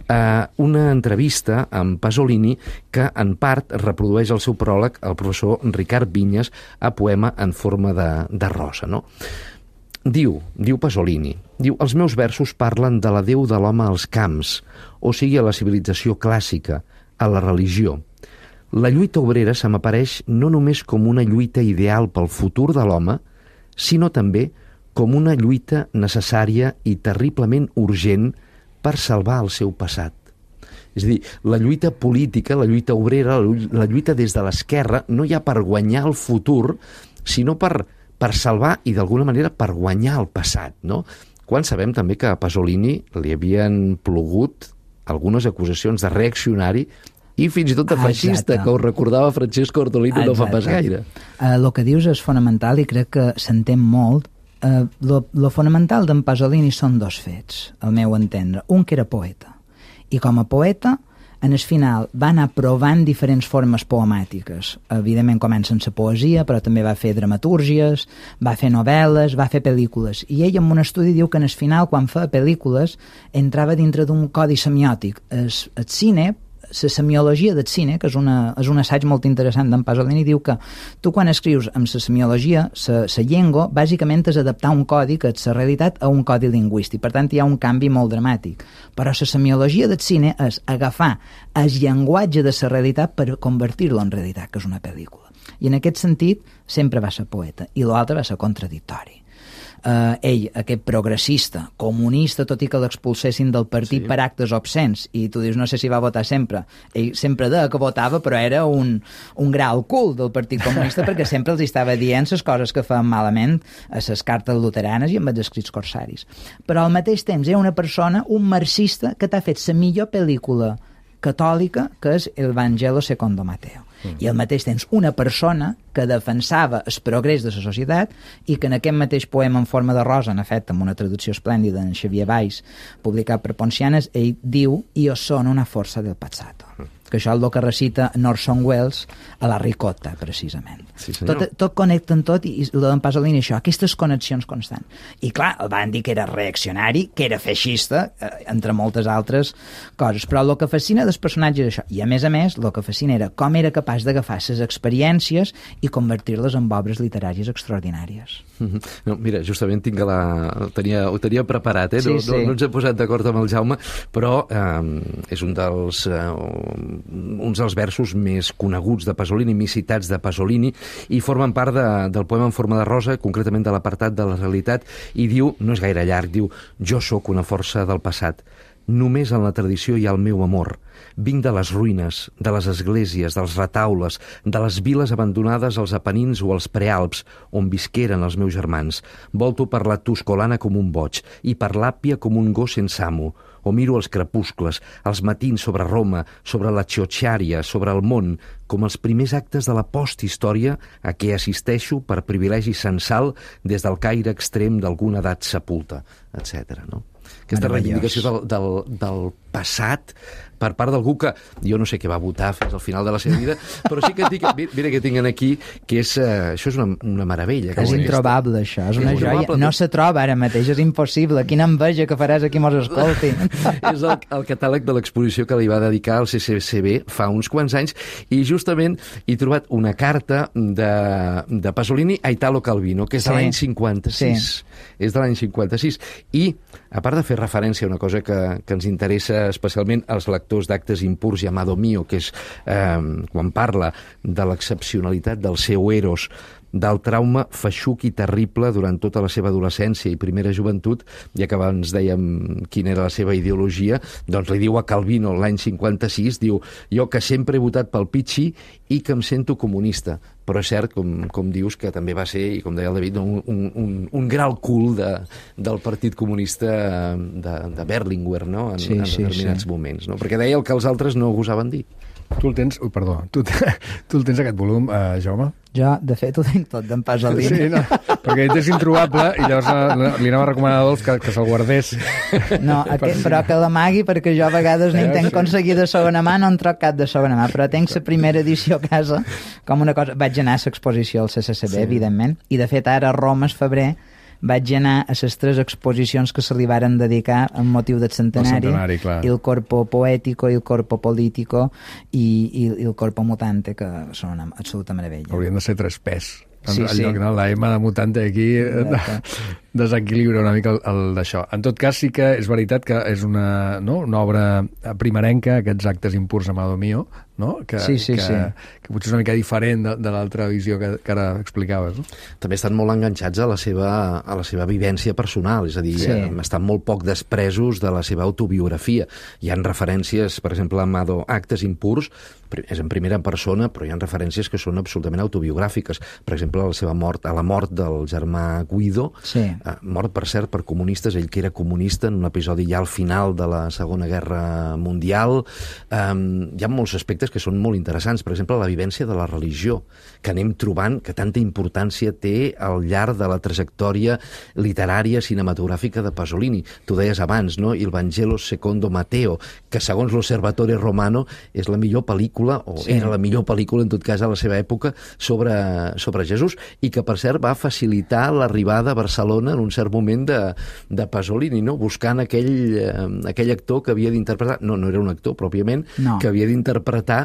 eh, una entrevista amb Pasolini que en part reprodueix el seu pròleg el professor Ricard Vinyes a poema en forma de, de rosa, no? Diu, diu Pasolini, diu, els meus versos parlen de l'adéu de l'home als camps, o sigui a la civilització clàssica, a la religió. La lluita obrera se m'apareix no només com una lluita ideal pel futur de l'home, sinó també com una lluita necessària i terriblement urgent per salvar el seu passat. És a dir, la lluita política, la lluita obrera, la lluita des de l'esquerra, no hi ha per guanyar el futur, sinó per, per salvar i d'alguna manera per guanyar el passat, no? Quan sabem també que a Pasolini li havien plogut algunes acusacions de reaccionari i fins i tot de feixista, Exacte. que ho recordava Francesco Ardolino no fa pas gaire. Uh, el que dius és fonamental i crec que s'entén molt. Uh, lo, lo fonamental d'en Pasolini són dos fets, al meu entendre. Un que era poeta, i com a poeta, en el final va anar provant diferents formes poemàtiques. Evidentment comença en la poesia, però també va fer dramatúrgies, va fer novel·les, va fer pel·lícules. I ell en un estudi diu que en el final, quan feia pel·lícules, entrava dintre d'un codi semiòtic. El, el cine, la semiologia del cine, que és, una, és un assaig molt interessant d'en Pasolini, diu que tu quan escrius amb la semiologia, la llengua, bàsicament és adaptar un codi que és la realitat a un codi lingüístic. Per tant, hi ha un canvi molt dramàtic. Però la semiologia del cine és agafar el llenguatge de la realitat per convertir-lo en realitat, que és una pel·lícula. I en aquest sentit, sempre va ser poeta, i l'altre va ser contradictori. Uh, ell, aquest progressista, comunista, tot i que l'expulsessin del partit sí. per actes obscens, i tu dius, no sé si va votar sempre. Ell sempre deia que votava, però era un, un grau cul del Partit Comunista perquè sempre els estava dient les coses que feien malament a les cartes luteranes i amb els escrits corsaris. Però al mateix temps era una persona, un marxista, que t'ha fet la millor pel·lícula catòlica, que és El Vangelo secondo Mateo. Mm. I al mateix temps una persona que defensava el progrés de la societat i que en aquest mateix poema en forma de rosa, en efecte, amb una traducció esplèndida en Xavier Valls, publicat per Poncianes, ell diu «Io sono una forza del passato». Mm. Que això és el que recita Orson Welles a la Ricotta, precisament. Sí, tot, tot connecta en tot, i el d'en Pasolini això, aquestes connexions constants. I clar, el van dir que era reaccionari, que era feixista, eh, entre moltes altres coses, però el que fascina dels personatges és això, i a més a més, el que fascina era com era capaç d'agafar les experiències i convertir-les en obres literàries extraordinàries. Mm-hmm. No, mira, justament tinc la... ho, tenia, ho tenia preparat, eh? Sí, no, sí. no, no ens he posat d'acord amb el Jaume, però eh, és un dels... Eh, uns dels versos més coneguts de Pasolini, més citats de Pasolini, i formen part de, del poema en forma de rosa, concretament de l'apartat de la realitat, i diu, no és gaire llarg, diu, jo sóc una força del passat, només en la tradició hi ha el meu amor, vinc de les ruïnes, de les esglésies, dels retaules, de les viles abandonades als Apenins o als Prealps, on visqueren els meus germans, volto per la Tuscolana com un boig, i per l'Àppia com un gos sense amo, o miro els crepuscles, els matins sobre Roma, sobre la Ciociaria, sobre el món, com els primers actes de la posthistòria a què assisteixo per privilegi censal des del caire extrem d'alguna edat sepulta, etcètera. No? Aquesta reivindicació del, del, del passat per part d'algú que jo no sé què va votar fins al final de la seva vida, però sí que tinc, mira que tinc aquí, que és, uh, això és una, una meravella. És introbable, això, és una joia. No se troba ara mateix, és impossible. Quina enveja que faràs aquí mos escolti. És el, el catàleg de l'exposició que li va dedicar al C C C B fa uns quants anys, i justament he trobat una carta de, de Pasolini a Italo Calvino, que és de sí. l'any cinquanta-sis. Sí. És de l'any cinquanta-sis. I, a part de fer referència a una cosa que, que ens interessa especialment als lectors d'actes impurs i Amado Mio, que és eh, quan parla de l'excepcionalitat del seu Eros, del trauma feixuc i terrible durant tota la seva adolescència i primera joventut, ja que abans dèiem quina era la seva ideologia, doncs li diu a Calvino l'any cinquanta-sis, diu, jo que sempre he votat pel Pichi i que em sento comunista. Però és cert, com, com dius, que també va ser, i com deia el David, un, un, un, un gran cul de, del Partit Comunista de, de Berlinguer, no? En, sí, en determinats sí, sí. moments, no? Perquè deia el que els altres no gosaven dir. Tu el tens... Ui, perdó. Tu, tu el tens aquest volum, uh, Jaume? Jo, de fet, ho tinc tot d'en Pasolini. Sí, no, perquè ell és introbable i llavors uh, li anava a recomanar a Adolf que, que se'l guardés. No, aquest, però que l'amagui, perquè jo a vegades ni tenc aconseguit de segona mà, no en troc cap de segona mà, però tenc la primera edició a casa com una cosa... Vaig anar a l'exposició al C C C B, sí. evidentment, i de fet ara a Roma, és febrer, vaig anar a les tres exposicions que se li varen dedicar amb motiu del centenari, el centenari el Corpo Poético, el Corpo Político i, i, i el Corpo Mutante, que són una absoluta meravella. Haurien de ser tres pes. Sí, en sí. lloc de la M de Mutante aquí desequilibra una mica el, el d'això. En tot cas, sí que és veritat que és una, no? una obra primerenca, aquests actes impurs Amado Mio, no? que, sí, sí, que, sí. que potser és una mica diferent de, de l'altra visió que, que ara explicaves. No? També estan molt enganxats a la seva, a la seva vivència personal, és a dir, sí. estan molt poc despresos de la seva autobiografia. Hi ha referències, per exemple, a Amado, actes impurs, és en primera persona, però hi ha referències que són absolutament autobiogràfiques. Per exemple, a la seva mort, a la mort del germà Guido, sí. eh, mort, per cert, per comunistes, ell que era comunista en un episodi ja al final de la Segona Guerra Mundial. Eh, hi ha molts aspectes que són molt interessants. Per exemple, la vivència de la religió, que anem trobant que tanta importància té al llarg de la trajectòria literària cinematogràfica de Pasolini. Tu deies abans, no? Il Vangelo secondo Matteo, que segons l'Osservatore Romano és la millor pel·lícula, o sí. era la millor pel·lícula, en tot cas, a la seva època, sobre, sobre Jesús, i que, per cert, va facilitar l'arribada a Barcelona en un cert moment de, de Pasolini, no? Buscant aquell, eh, aquell actor que havia d'interpretar, no, no era un actor pròpiament, no. que havia d'interpretar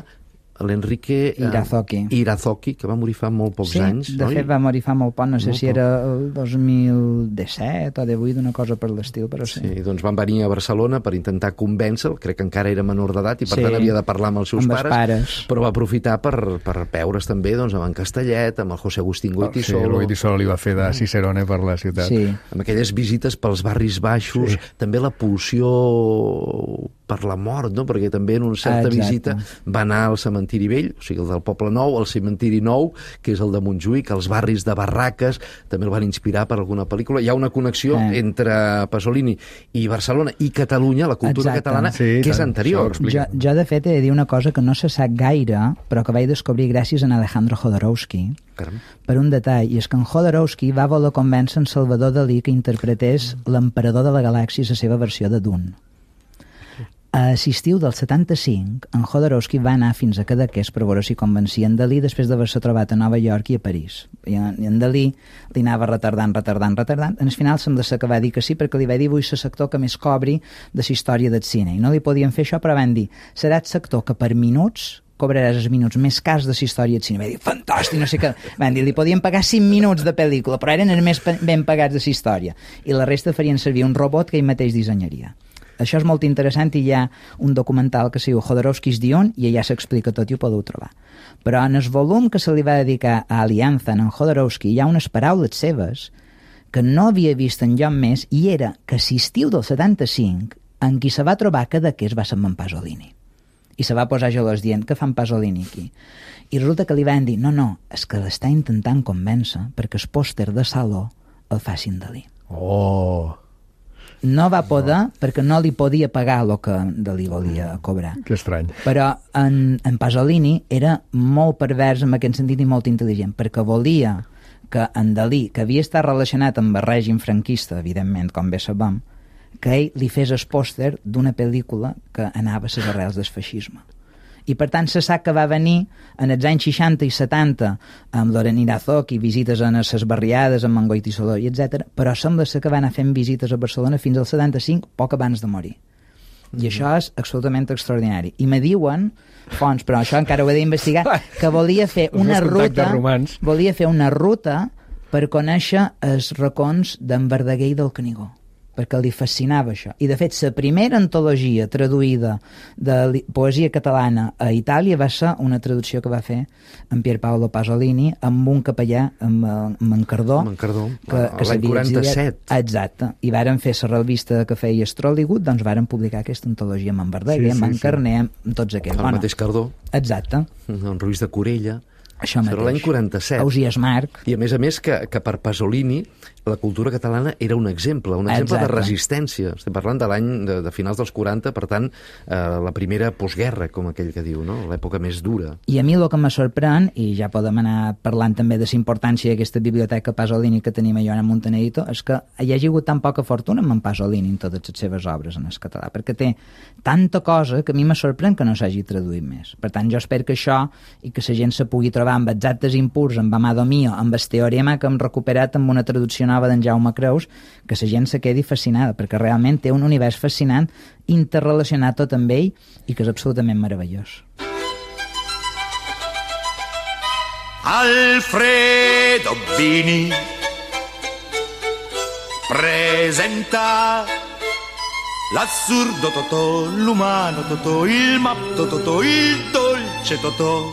l'Enrique Irazoki. Eh, Irazoki, que va morir fa molt pocs sí, anys. de fet va morir fa molt poc, no sé molt si poc. era el dos mil disset o divuit, una cosa per l'estil, però sí. Sí, doncs van venir a Barcelona per intentar convèncer-lo, crec que encara era menor d'edat i per sí, tant havia de parlar amb els seus amb pares, pares, però va aprofitar per, per veure's també doncs, amb en Castellet, amb el José Agustín Goitisolo. Sí, el Goitisolo li va fer de Cicerone per la ciutat. Sí. Amb aquelles visites pels barris baixos, sí. també la pulsió per la mort, no? Perquè també en una certa Exacte. visita va anar al cementiri vell, o sigui, el del Poble Nou, al cementiri nou, que és el de Montjuïc, els barris de Barraques, també el van inspirar per alguna pel·lícula. Hi ha una connexió eh. entre Pasolini i Barcelona i Catalunya, la cultura Exacte. catalana, sí, que és tant, anterior. Jo, jo, de fet, he de dir una cosa que no se sap gaire, però que vaig descobrir gràcies a Alejandro Jodorowsky, Caram. per un detall, i és que en Jodorowsky va voler convèncer en Salvador Dalí que interpretés l'emperador de la galàxia a la seva versió de Dune. A l'estiu del setanta-cinc, en Jodorowsky va anar fins a Cadaqués per veure si convencia en Dalí després d'haver-se trobat a Nova York i a París. I en, i en Dalí li anava retardant, retardant, retardant. En el final sembla ser que va dir que sí, perquè li va dir vull ser sector que més cobri de la història del cine. I no li podien fer això, però van dir seràs sector que per minuts cobraràs els minuts més cars de la història del cine. Va dir, fantàstic, no sé què. Van dir, li podien pagar cinc minuts de pel·lícula, però eren els més ben pagats de la història. I la resta farien servir un robot que ell mateix dissenyaria. Això és molt interessant i hi ha un documental que es diu Jodorowsky's Dune i allà s'explica tot i ho podeu trobar. Però en el volum que se li va dedicar a Alianza en Jodorowsky hi ha unes paraules seves que no havia vist enlloc més i era que l'estiu del setanta-cinc en qui se va trobar Cadaqués va ser en Pasolini. I se va posar gelós dient que fan Pasolini aquí. I resulta que li van dir no, no, és que l'està intentant convèncer perquè el pòster de saló el facin Dalí. Oh... no va poder perquè no li podia pagar el que de li volia cobrar. Que estrany. Però en, en Pasolini era molt pervers en aquest sentit i molt intel·ligent, perquè volia que en Dalí, que havia estat relacionat amb el règim franquista, evidentment, com bé sabem, que ell li fes el pòster d'una pel·lícula que anava a les arrels del feixisme. I per tant se sap que va venir en els anys seixanta i setanta amb Loren Irazok i visites a les barriades amb Mangoit i Soló i etcètera, però sembla ser que va anar fent visites a Barcelona fins al setanta-cinc, poc abans de morir. I mm-hmm. això és absolutament extraordinari. I me diuen, fonts, però això encara ho he d'investigar, que volia fer una ruta volia fer una ruta per conèixer els racons d'en Verdaguer i del Canigó, perquè li fascinava això. I, de fet, la primera antologia traduïda de poesia catalana a Itàlia va ser una traducció que va fer en Pier Paolo Pasolini amb un capellà, amb, amb en Cardó. Amb en Cardó, que, que l'any quaranta-set. Exacte. I varen fer la revista que feia Strollywood, doncs varen publicar aquesta antologia amb en Verdaguer, sí, sí, amb en Carné, amb tots aquests. El bueno, mateix Cardó. Exacte. En Ruiz de Corella. Això mateix. Serà l'any quaranta-set. Ausiàs Marc. I a més a més que, que per Pasolini la cultura catalana era un exemple, un exemple Exacte. de resistència. Estem parlant de l'any de, de finals dels quaranta, per tant, eh, la primera postguerra, com aquell que diu, no? L'època més dura. I a mi el que me sorprèn, i ja podem anar parlant també de la importància d'aquesta biblioteca Pasolini que tenim a Joana Montanerito, és que hi hagi hagut tan poca fortuna amb en Pasolini en totes les seves obres en el català, perquè té tanta cosa que a mi me sorprèn que no s'hagi traduït més. Per tant, jo espero que això i que la gent se pugui trobar amb exactes impurs, amb Amado Mio, amb el teorema que hem recuperat amb una traducció nova d'en Jaume Creus, que la gent se quedi fascinada, perquè realment té un univers fascinant, interrelacionat tot amb ell, i que és absolutament meravellós. Alfredo Bini presenta l'assurdo Totò, l'umano Totò, il matto Totò, il dolce Totò.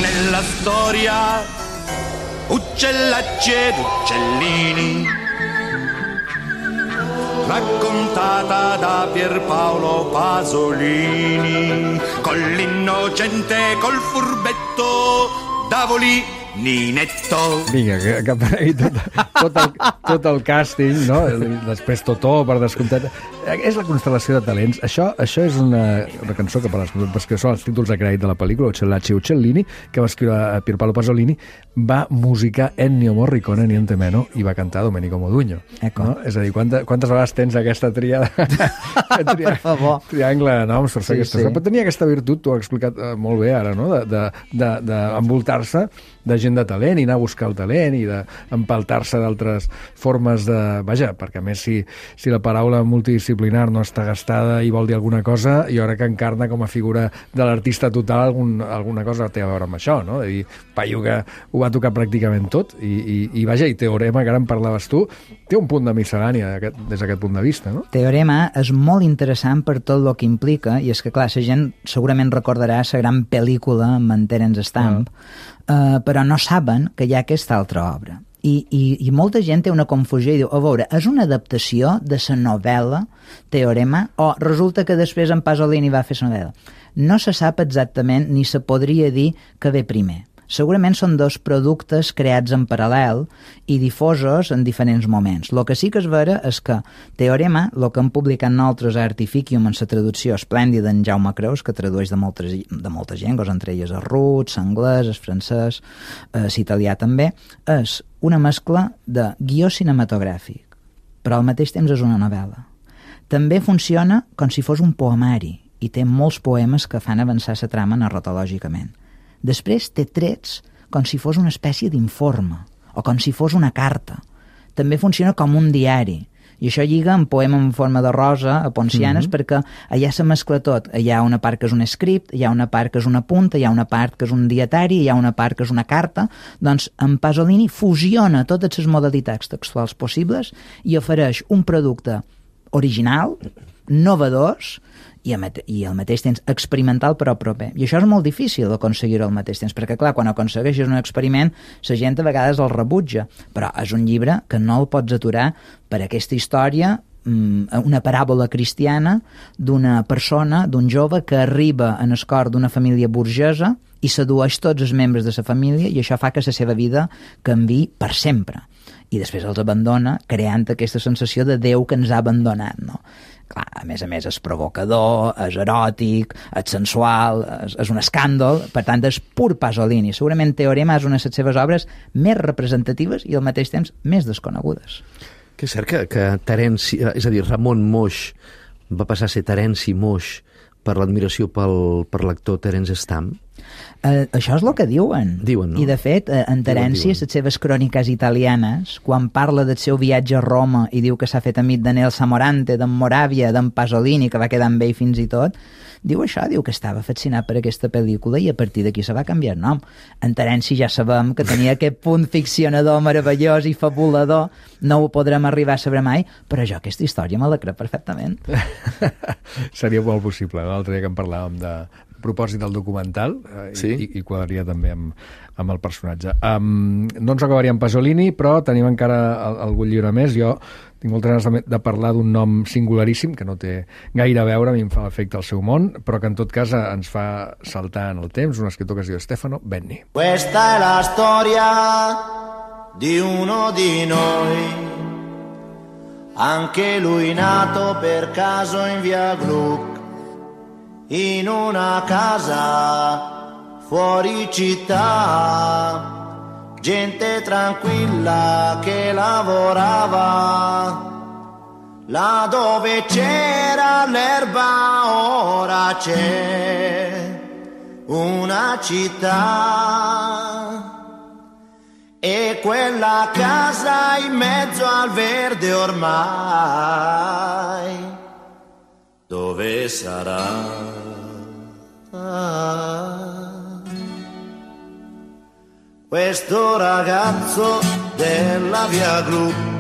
Nella storia uccellacci ed uccellini, raccontata da Pierpaolo Pasolini, con l'innocente, col furbetto d'Avoli Ninetto. Vinga, que, que aparegui tot, tot, el, tot el càsting, no? Després Totò, per descomptat. És la constel·lació de talents. Això, això és una, una cançó que per les que són els títols de crèdit de la pel·lícula, Uccellacci e Uccellini, que va escriure Pierpaolo Pasolini, va musicar Ennio Morricone, niente meno, i va cantar Domenico Modugno. No? És a dir, quanta, quantes vegades tens aquesta tríada? Per favor. Triangle de noms per fer sí, aquesta. Sí. Però tenia aquesta virtut, t'ho ha explicat uh, molt bé ara, no? d'envoltar-se de, de, de, de gent de talent i anar a buscar el talent i d'empaltar-se d'altres formes de... Vaja, perquè a més si, si la paraula multidisciplinar no està gastada i vol dir alguna cosa, i ara que encarna com a figura de l'artista total algun, alguna cosa té a veure amb això, no? De dir, paio que ho va tocar pràcticament tot i, i, i vaja, i Teorema, que ara en parlaves tu, té un punt de miscel·lània aquest, des d'aquest punt de vista, no? Teorema és molt interessant per tot el que implica, i és que, clar, la gent segurament recordarà la gran pel·lícula amb en Terence Stamp, ah. Uh, però no saben que hi ha aquesta altra obra. I, i, i molta gent té una confusió i diu, a veure, és una adaptació de la novel·la Teorema o resulta que després en Pasolini va fer la novel·la? No se sap exactament ni se podria dir que ve primer. Segurament són dos productes creats en paral·lel i difosos en diferents moments. El que sí que és vera és que Teorema, el que hem publicat nosaltres a Artificium en la traducció esplèndida d'en Jaume Creus, que tradueix de moltes, de moltes llengües, entre elles el rus, l'anglès, el francès, l'italià també, és una mescla de guió cinematogràfic, però al mateix temps és una novel·la. També funciona com si fos un poemari i té molts poemes que fan avançar la trama narratològicament. Després té trets com si fos una espècie d'informe o com si fos una carta. També funciona com un diari. I això lliga amb poema en forma de rosa a Poncianes, mm-hmm. perquè allà se mescla tot. Hi ha una part que és un script, hi ha una part que és una punta, hi ha una part que és un dietari, hi ha una part que és una carta. Doncs en Pasolini fusiona totes les modalitats textuals possibles i ofereix un producte original, novedós, i al mateix temps experimental però proper. I això és molt difícil aconseguir-ho al mateix temps, perquè clar, quan aconsegueixes un experiment la gent a vegades el rebutja, però és un llibre que no el pots aturar per aquesta història, una paràbola cristiana d'una persona, d'un jove que arriba en el cor d'una família burgesa i sedueix tots els membres de la família i això fa que la seva vida canviï per sempre. i després els abandona, creant aquesta sensació de Déu que ens ha abandonat, no? Clar, a més a més és provocador, és eròtic, és sensual, és, és un escàndol, per tant és pur Pasolini. Segurament Teorema és una de les seves obres més representatives i al mateix temps més desconegudes. Que és cert que, que Terenci, és a dir, Ramon Moix va passar a ser Terenci Moix per l'admiració pel, per l'actor Terence Stamp? Uh, això és el que diuen. Diuen, no? I de fet, uh, en Terenci, a les seves cròniques italianes, quan parla del seu viatge a Roma i diu que s'ha fet amic de Nelsa Morante, d'en Moravia, d'en Pasolini, que va quedar amb ell fins i tot, diu això, diu que estava fascinat per aquesta pel·lícula i a partir d'aquí se va canviar el nom. En Terenci ja sabem que tenia aquest punt ficcionador meravellós i fabulador, no ho podrem arribar a saber mai, però jo aquesta història me la crec perfectament. Seria molt possible, no? L'altre dia que en parlàvem de propòsit del documental, eh, sí? i, i quadraria també amb, amb el personatge. Um, no ens acabaria amb Pasolini, però tenim encara algun llibre més. Jo tinc moltes ganes de, de parlar d'un nom singularíssim, que no té gaire a veure, a mi em fa l'efecte al seu món, però que en tot cas ens fa saltar en el temps, un escriptor que es diu Stefano Benni. Questa è la storia di uno di noi, anche lui nato per caso in via Gluck, in una casa fuori città, gente tranquilla che lavorava, là dove c'era l'erba ora c'è una città, e quella casa in mezzo al verde ormai, dove sarà? Ah, questo ragazzo della via Gluck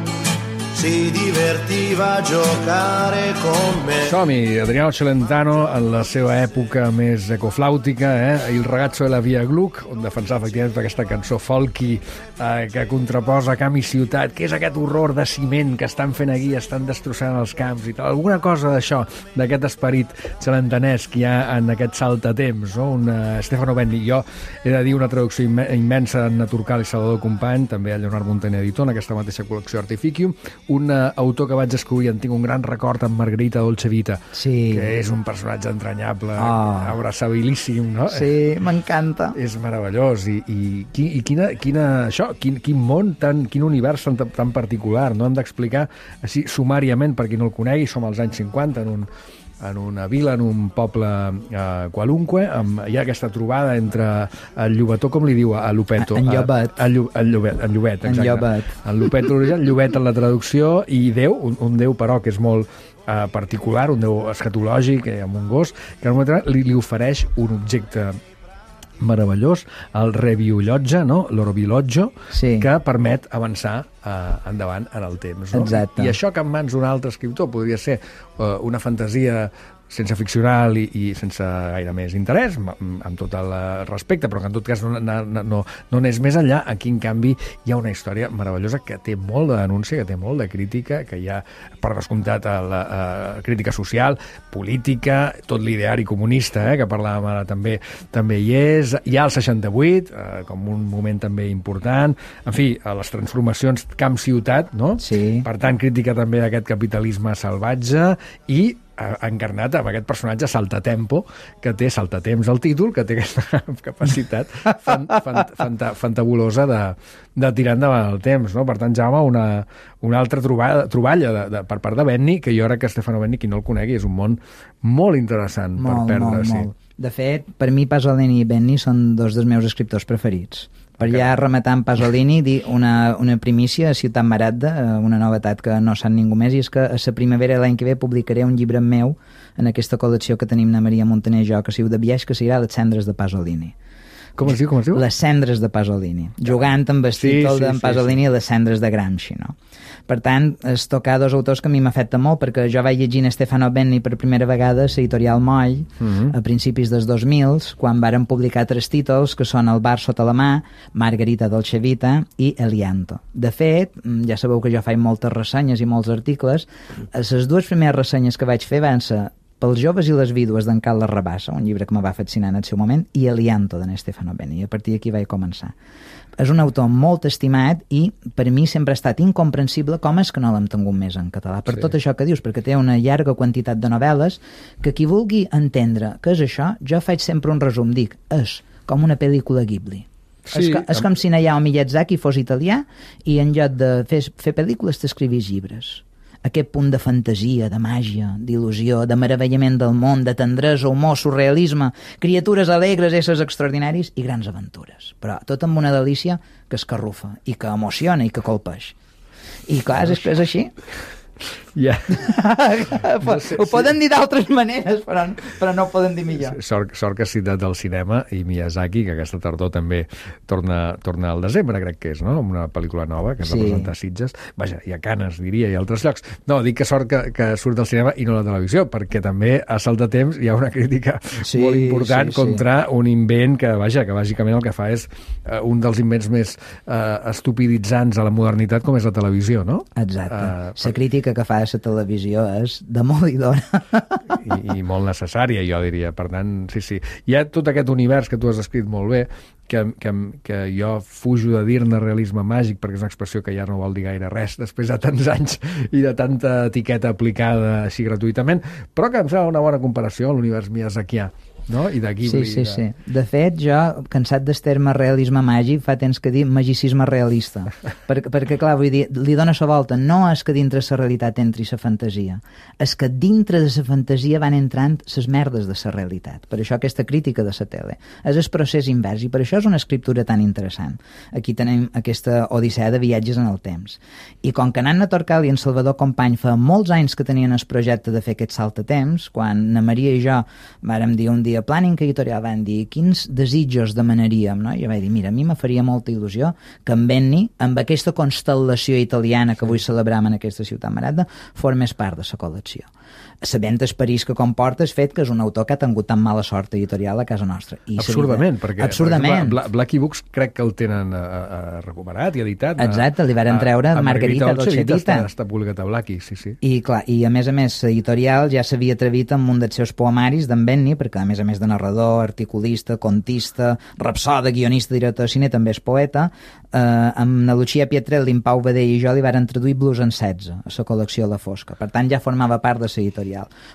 si divertiva a giocare con me. Som-hi, Adriano Celentano en la seva època més ecoflàutica, eh? Il ragazzo de la via Gluck, on defensava efectivament aquesta cançó folky eh, que contraposa camp i ciutat. Què és aquest horror de ciment que estan fent aquí, estan destrossant els camps i tal? Alguna cosa d'això, d'aquest esperit celentanès que hi ha en aquest saltatemps, no? Un uh, Stefano Benni. Jo he de dir una traducció imme immensa en Turcal i Salvador Company, també a Leonard Montaner Editor, en aquesta mateixa col·lecció Artificium. Un uh, autor que vaig descobrir, en tinc un gran record, amb Margarita Dolce Vita, sí, que és un personatge entranyable, oh, abraçabilíssim, no? Sí, m'encanta. És meravellós i, i, i quina, quina, això, quin, quin món, tan, quin univers tan, tan particular, no? Hem d'explicar així sumàriament, per qui no el conegui. Som als anys cinquanta, en un en una vila, en un poble eh, qualunque, amb, hi ha aquesta trobada entre el llobató, com li diu a Lupeto? En Llobet. En Llobet, en Llobet, exacte. En Llobet. En Lupet l'origen, Llobet en la traducció, i Déu, un, un Déu però que és molt eh, particular, un Déu escatològic, eh, amb un gos, que en un moment li, li ofereix un objecte meravellós, el rebiolotge, no? l'orobiolotge, sí, que permet avançar eh, endavant en el temps. No? Exacte. I això que en mans d'un altre escriptor podria ser eh, una fantasia sense ficcional i, i sense gaire més interès, amb, amb tot el respecte, però que en tot cas no, no, no, no n'és més enllà. Aquí, en canvi, hi ha una història meravellosa que té molt de denúncia, que té molt de crítica, que hi ha, per descomptat, la, la crítica social, política, tot l'ideari comunista, eh, que parlàvem ara, també també hi és. Hi ha el seixanta-vuit, eh, com un moment també important. En fi, les transformacions camp-ciutat, no? Sí. Per tant, crítica també d'aquest capitalisme salvatge i encarnat amb aquest personatge saltatempo, que té saltatemps al títol, que té aquesta capacitat fan, fan, fanta, fantabulosa de, de tirar endavant el temps, no? Per tant, Jaume, una, una altra troballa, troballa de, de, per part de Benni, que jo crec que Stefano Benni, qui no el conegui, és un món molt interessant molt, per perdre. Molt, sí. molt. De fet, per mi Pasolini i Benni són dos dels meus escriptors preferits. Per ja rematar amb Pasolini, dir una, una primícia a Ciutat Maragda, una novetat que no sap ningú més, i és que a la primavera de l'any que ve publicaré un llibre meu en aquesta col·lecció que tenim na Maria Montaner i jo, que si de viatge, que serà Les cendres de Pasolini. Com es diu? Com es diu? Les cendres de Pasolini. Jugant amb el sí, títol sí, d'en sí, Pasolini, sí. Les cendres de Gramsci, no? Per tant, és tocar dos autors que a mi m'afecta molt, perquè jo vaig llegir Stefano Benni per primera vegada a l'editorial Moll, uh -huh. a principis dels dos mil, quan varen publicar tres títols, que són El bar sota la mà, Margarita Dolce Vita i Elianto. De fet, ja sabeu que jo faig moltes ressenyes i molts articles. Les dues primeres ressenyes que vaig fer van ser Pels joves i les vídues d'en Carles Rabassa, un llibre que me va fascinar en el seu moment, i Elianto, d'en Stefano Benni, i a partir d'aquí vaig començar. És un autor molt estimat i per mi sempre ha estat incomprensible com és que no l'hem tingut més en català, per sí. tot això que dius, perquè té una llarga quantitat de novel·les que qui vulgui entendre què és això, jo faig sempre un resum, dic, és com una pel·lícula Ghibli. Sí, és, que, és com si Hayao Miyazaki fos italià i en lloc de fer, fer pel·lícules t'escrivís llibres. Aquest punt de fantasia, de màgia, d'il·lusió, de meravellament del món, de tendresa, humor, surrealisme, criatures alegres, éssers extraordinaris i grans aventures. Però tot amb una delícia que escarrufa i que emociona i que colpeix. I clar, és que és així. Ja. No sé, ho poden sí. dir d'altres maneres, però, però no ho poden dir millor. Sort, sort que has citat del cinema i Miyazaki, que aquesta tardor també torna, torna al desembre, crec que és, no? Una pel·lícula nova que es sí. va presentar a Sitges. Vaja, i a Canes, diria, i a altres llocs. No, dic que sort que, que surt del cinema i no la televisió, perquè també a Salt de Temps hi ha una crítica sí, molt important sí, contra sí. un invent que, vaja, que bàsicament el que fa és uh, un dels invents més uh, estupiditzants a la modernitat, com és la televisió, no? Exacte. Uh, la crítica que fa la televisió és demolidora. I, i molt necessària, jo diria. Per tant, sí, sí. Hi ha tot aquest univers que tu has escrit molt bé, que, que, que jo fujo de dir-ne realisme màgic, perquè és una expressió que ja no vol dir gaire res després de tants anys i de tanta etiqueta aplicada així gratuïtament, però que em sembla una bona comparació a l'univers miyazakià. No? I de Ghibli. Sí, sí, sí. De fet, jo, cansat del terme realisme màgic, fa temps que dic magicisme realista. perquè, perquè, clar, vull dir, li dona la volta. No és que dintre la realitat entri la fantasia. És que dintre de la fantasia van entrant les merdes de la realitat. Per això aquesta crítica de la tele. És el procés invers, i per això és una escriptura tan interessant. Aquí tenim aquesta odissea de viatges en el temps. I com que Nanna Torcal i en Salvador Company fa molts anys que tenien el projecte de fer aquest salt a temps, quan na Maria i jo vàrem dir un dia Planning Editorial, van dir quins desitjos demanaríem, no? Jo vaig dir, mira, a mi me faria molta il·lusió que en Benni, amb aquesta constel·lació italiana que avui celebrem en aquesta ciutat marada, formés part de la col·lecció. Sabent el París que comporta el fet que és un autor que ha tingut tan mala sort editorial a casa nostra. I absurdament, vida, perquè absurdament. Per exemple, Blacky Books crec que el tenen a, a recuperat i editat. Exacte, li varen treure a, a Margarita Dolcevita. Està, està publicat a Blacky, sí, sí. I, clar, i a més a més, l'editorial ja s'havia atrevit amb un dels seus poemaris d'en Benni, perquè a més a més de narrador, articulista, contista, rapsoda, guionista, director de cine, també és poeta, eh, amb na Lucia Pietrelli, en Pau Badell i jo li varen traduir Blues en setze a la col·lecció La Fosca. Per tant, ja formava part de l'editorial.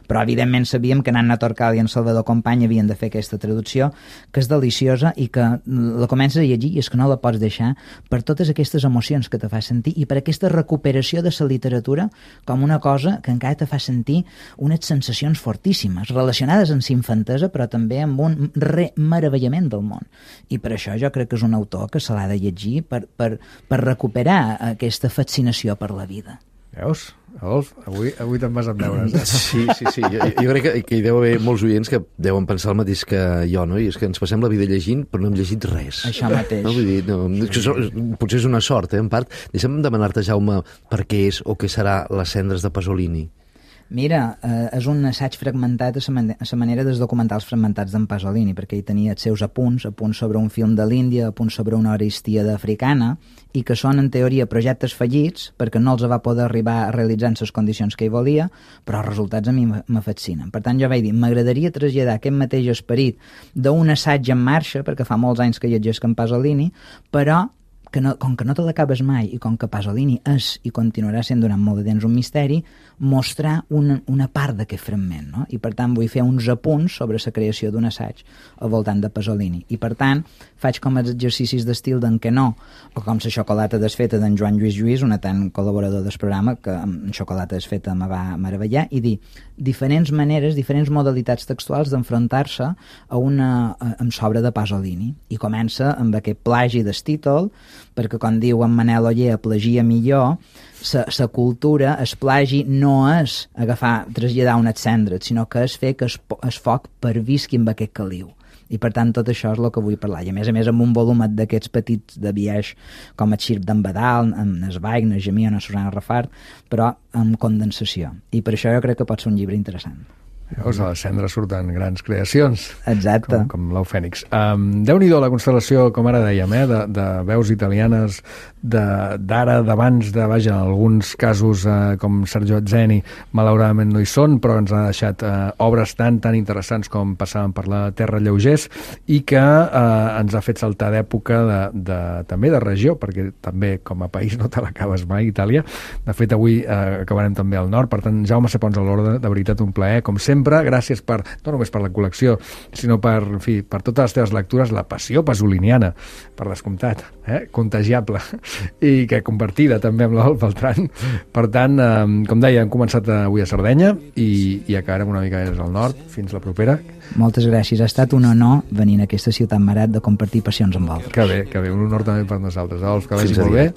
Però evidentment sabíem que Nanna Torcal i en Salvador Company havien de fer aquesta traducció, que és deliciosa i que la comences a llegir i és que no la pots deixar per totes aquestes emocions que te fa sentir i per aquesta recuperació de la literatura com una cosa que encara te fa sentir unes sensacions fortíssimes relacionades amb la infantesa però també amb un remeravellament del món. I per això jo crec que és un autor que se l'ha de llegir per, per, per recuperar aquesta fascinació per la vida. Veus? Adolf, avui, avui te'n vas amb deures. Eh? Sí, sí, sí. Jo, jo crec que, que hi deu haver molts oients que deuen pensar el mateix que jo, no? I és que ens passem la vida llegint, però no hem llegit res. Això mateix. No? Vull dir, no, potser és una sort, eh, en part. Deixa'm demanar-te, Jaume, per què és o què serà Les cendres de Pasolini. Mira, eh, és un assaig fragmentat a la man a manera dels documentals fragmentats d'en Pasolini, perquè ell tenia els seus apunts, apunts sobre un film de l'Índia, apunts sobre una Aristida africana, i que són, en teoria, projectes fallits, perquè no els va poder arribar a realitzar en les condicions que ell volia, però els resultats a mi me fascinen. Per tant, jo vaig dir, m'agradaria traslladar aquest mateix esperit d'un assaig en marxa, perquè fa molts anys que llegeix en Pasolini, però que no, com que no te l'acabes mai i com que Pasolini és i continuarà sent durant molt de temps un misteri, mostrar una, una part d'aquest fragment, no? I per tant vull fer uns apunts sobre la creació d'un assaig al voltant de Pasolini. I per tant faig com els exercicis d'estil d'en Quenó o com la xocolata desfeta d'en Joan Lluís Lluís, un tant col·laborador del programa que amb xocolata desfeta me va meravellar, i dir diferents maneres, diferents modalitats textuals d'enfrontar-se a una amb l'obra de Pasolini. I comença amb aquest plagi del títol, perquè com diu en Manel Oller, plagia millor, la cultura, el plagi no és agafar, traslladar unes cendres, sinó que és fer que el foc pervisqui amb aquest caliu. I per tant tot això és el que vull parlar. I a més a més amb un volumet d'aquests petits de biaix com el Xirp d'en Badal, amb Nesbaig, Najamí o na Susana Rafart, però amb condensació. I per això jo crec que pot ser un llibre interessant. Veus, a les cendres surten grans creacions. Exacte. Com, com l'ou fènix. Um, Déu-n'hi-do la constel·lació, com ara dèiem, eh, de, de veus italianes d'ara, d'abans, de, vaja, en alguns casos, eh, com Sergio Azzeni, malauradament no hi són, però ens ha deixat eh, obres tan, tan interessants com passaven per la Terra lleugers i que eh, ens ha fet saltar d'època de, de, també de regió, perquè també com a país no te l'acabes mai, Itàlia. De fet, avui eh, acabarem també al nord. Per tant, Jaume Sepons a l'Orde, de veritat un plaer, com sempre. Gràcies per, no només per la col·lecció, sinó per, en fi, per totes les teves lectures, la passió pasoliniana, per descomptat, eh? Contagiable, i que compartida també amb l'Olf Beltran. Per tant, eh, com deia, hem començat avui a Sardenya i, i acabarem una mica més al nord. Fins la propera. Moltes gràcies. Ha estat un honor venir a aquesta ciutat marat de compartir passions amb vosaltres. Que bé, que bé. Un honor també per nosaltres. Olf, que vagi molt bé.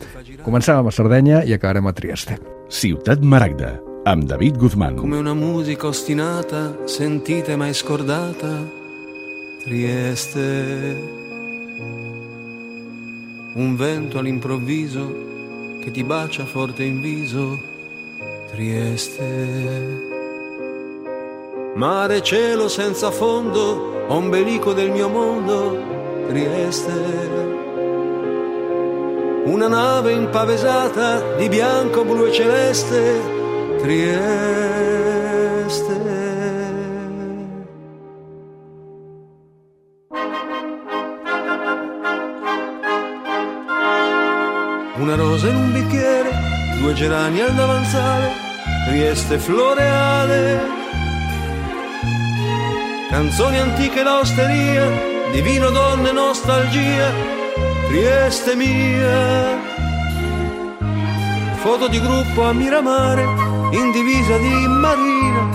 Comencem a Sardenya i acabarem a Trieste. Ciutat Maragda, amb David Guzmán. Come una musica ostinata, sentita e mai scordata, Trieste. Un vento all'improvviso che ti bacia forte in viso, Trieste. Mare, cielo senza fondo, ombelico del mio mondo, Trieste. Una nave impavesata di bianco, blu e celeste, Trieste. Una rosa in un bicchiere, due gerani al davanzale, Trieste floreale. Canzoni antiche, l'osteria, di vino, donne, nostalgia, Trieste mia. Foto di gruppo a Miramare, in divisa di marina,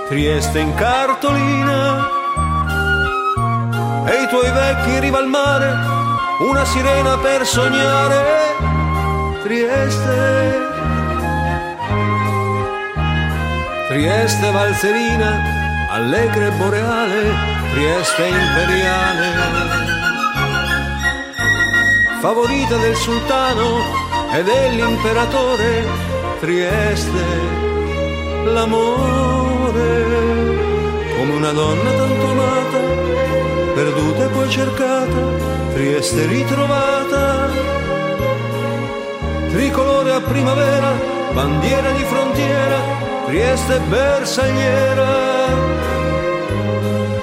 Trieste in cartolina. E i tuoi vecchi in riva al mare, una sirena per sognare, Trieste. Trieste valzerina, allegra e boreale, Trieste imperiale. Favorita del sultano e dell'imperatore, Trieste, l'amore. Come una donna tanto amata, perduta e poi cercata, Trieste ritrovata. Tricolore a primavera, bandiera di frontiera, Trieste bersagliera.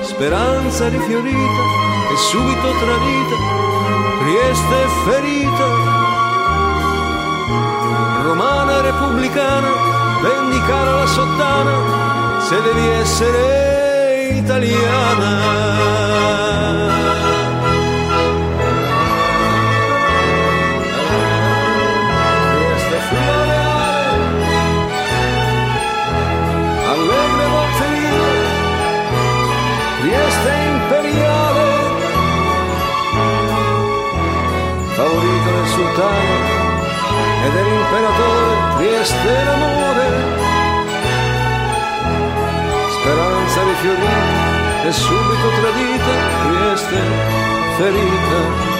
Speranza rifiorita e subito tradita, Trieste ferita. Romana e repubblicana, vendicare la sottana, se devi essere italiana. Trieste imperiale, favorito del sultano e dell'imperatore, Trieste l'amore. Speranza rifiorita e subito tradita, Trieste ferita.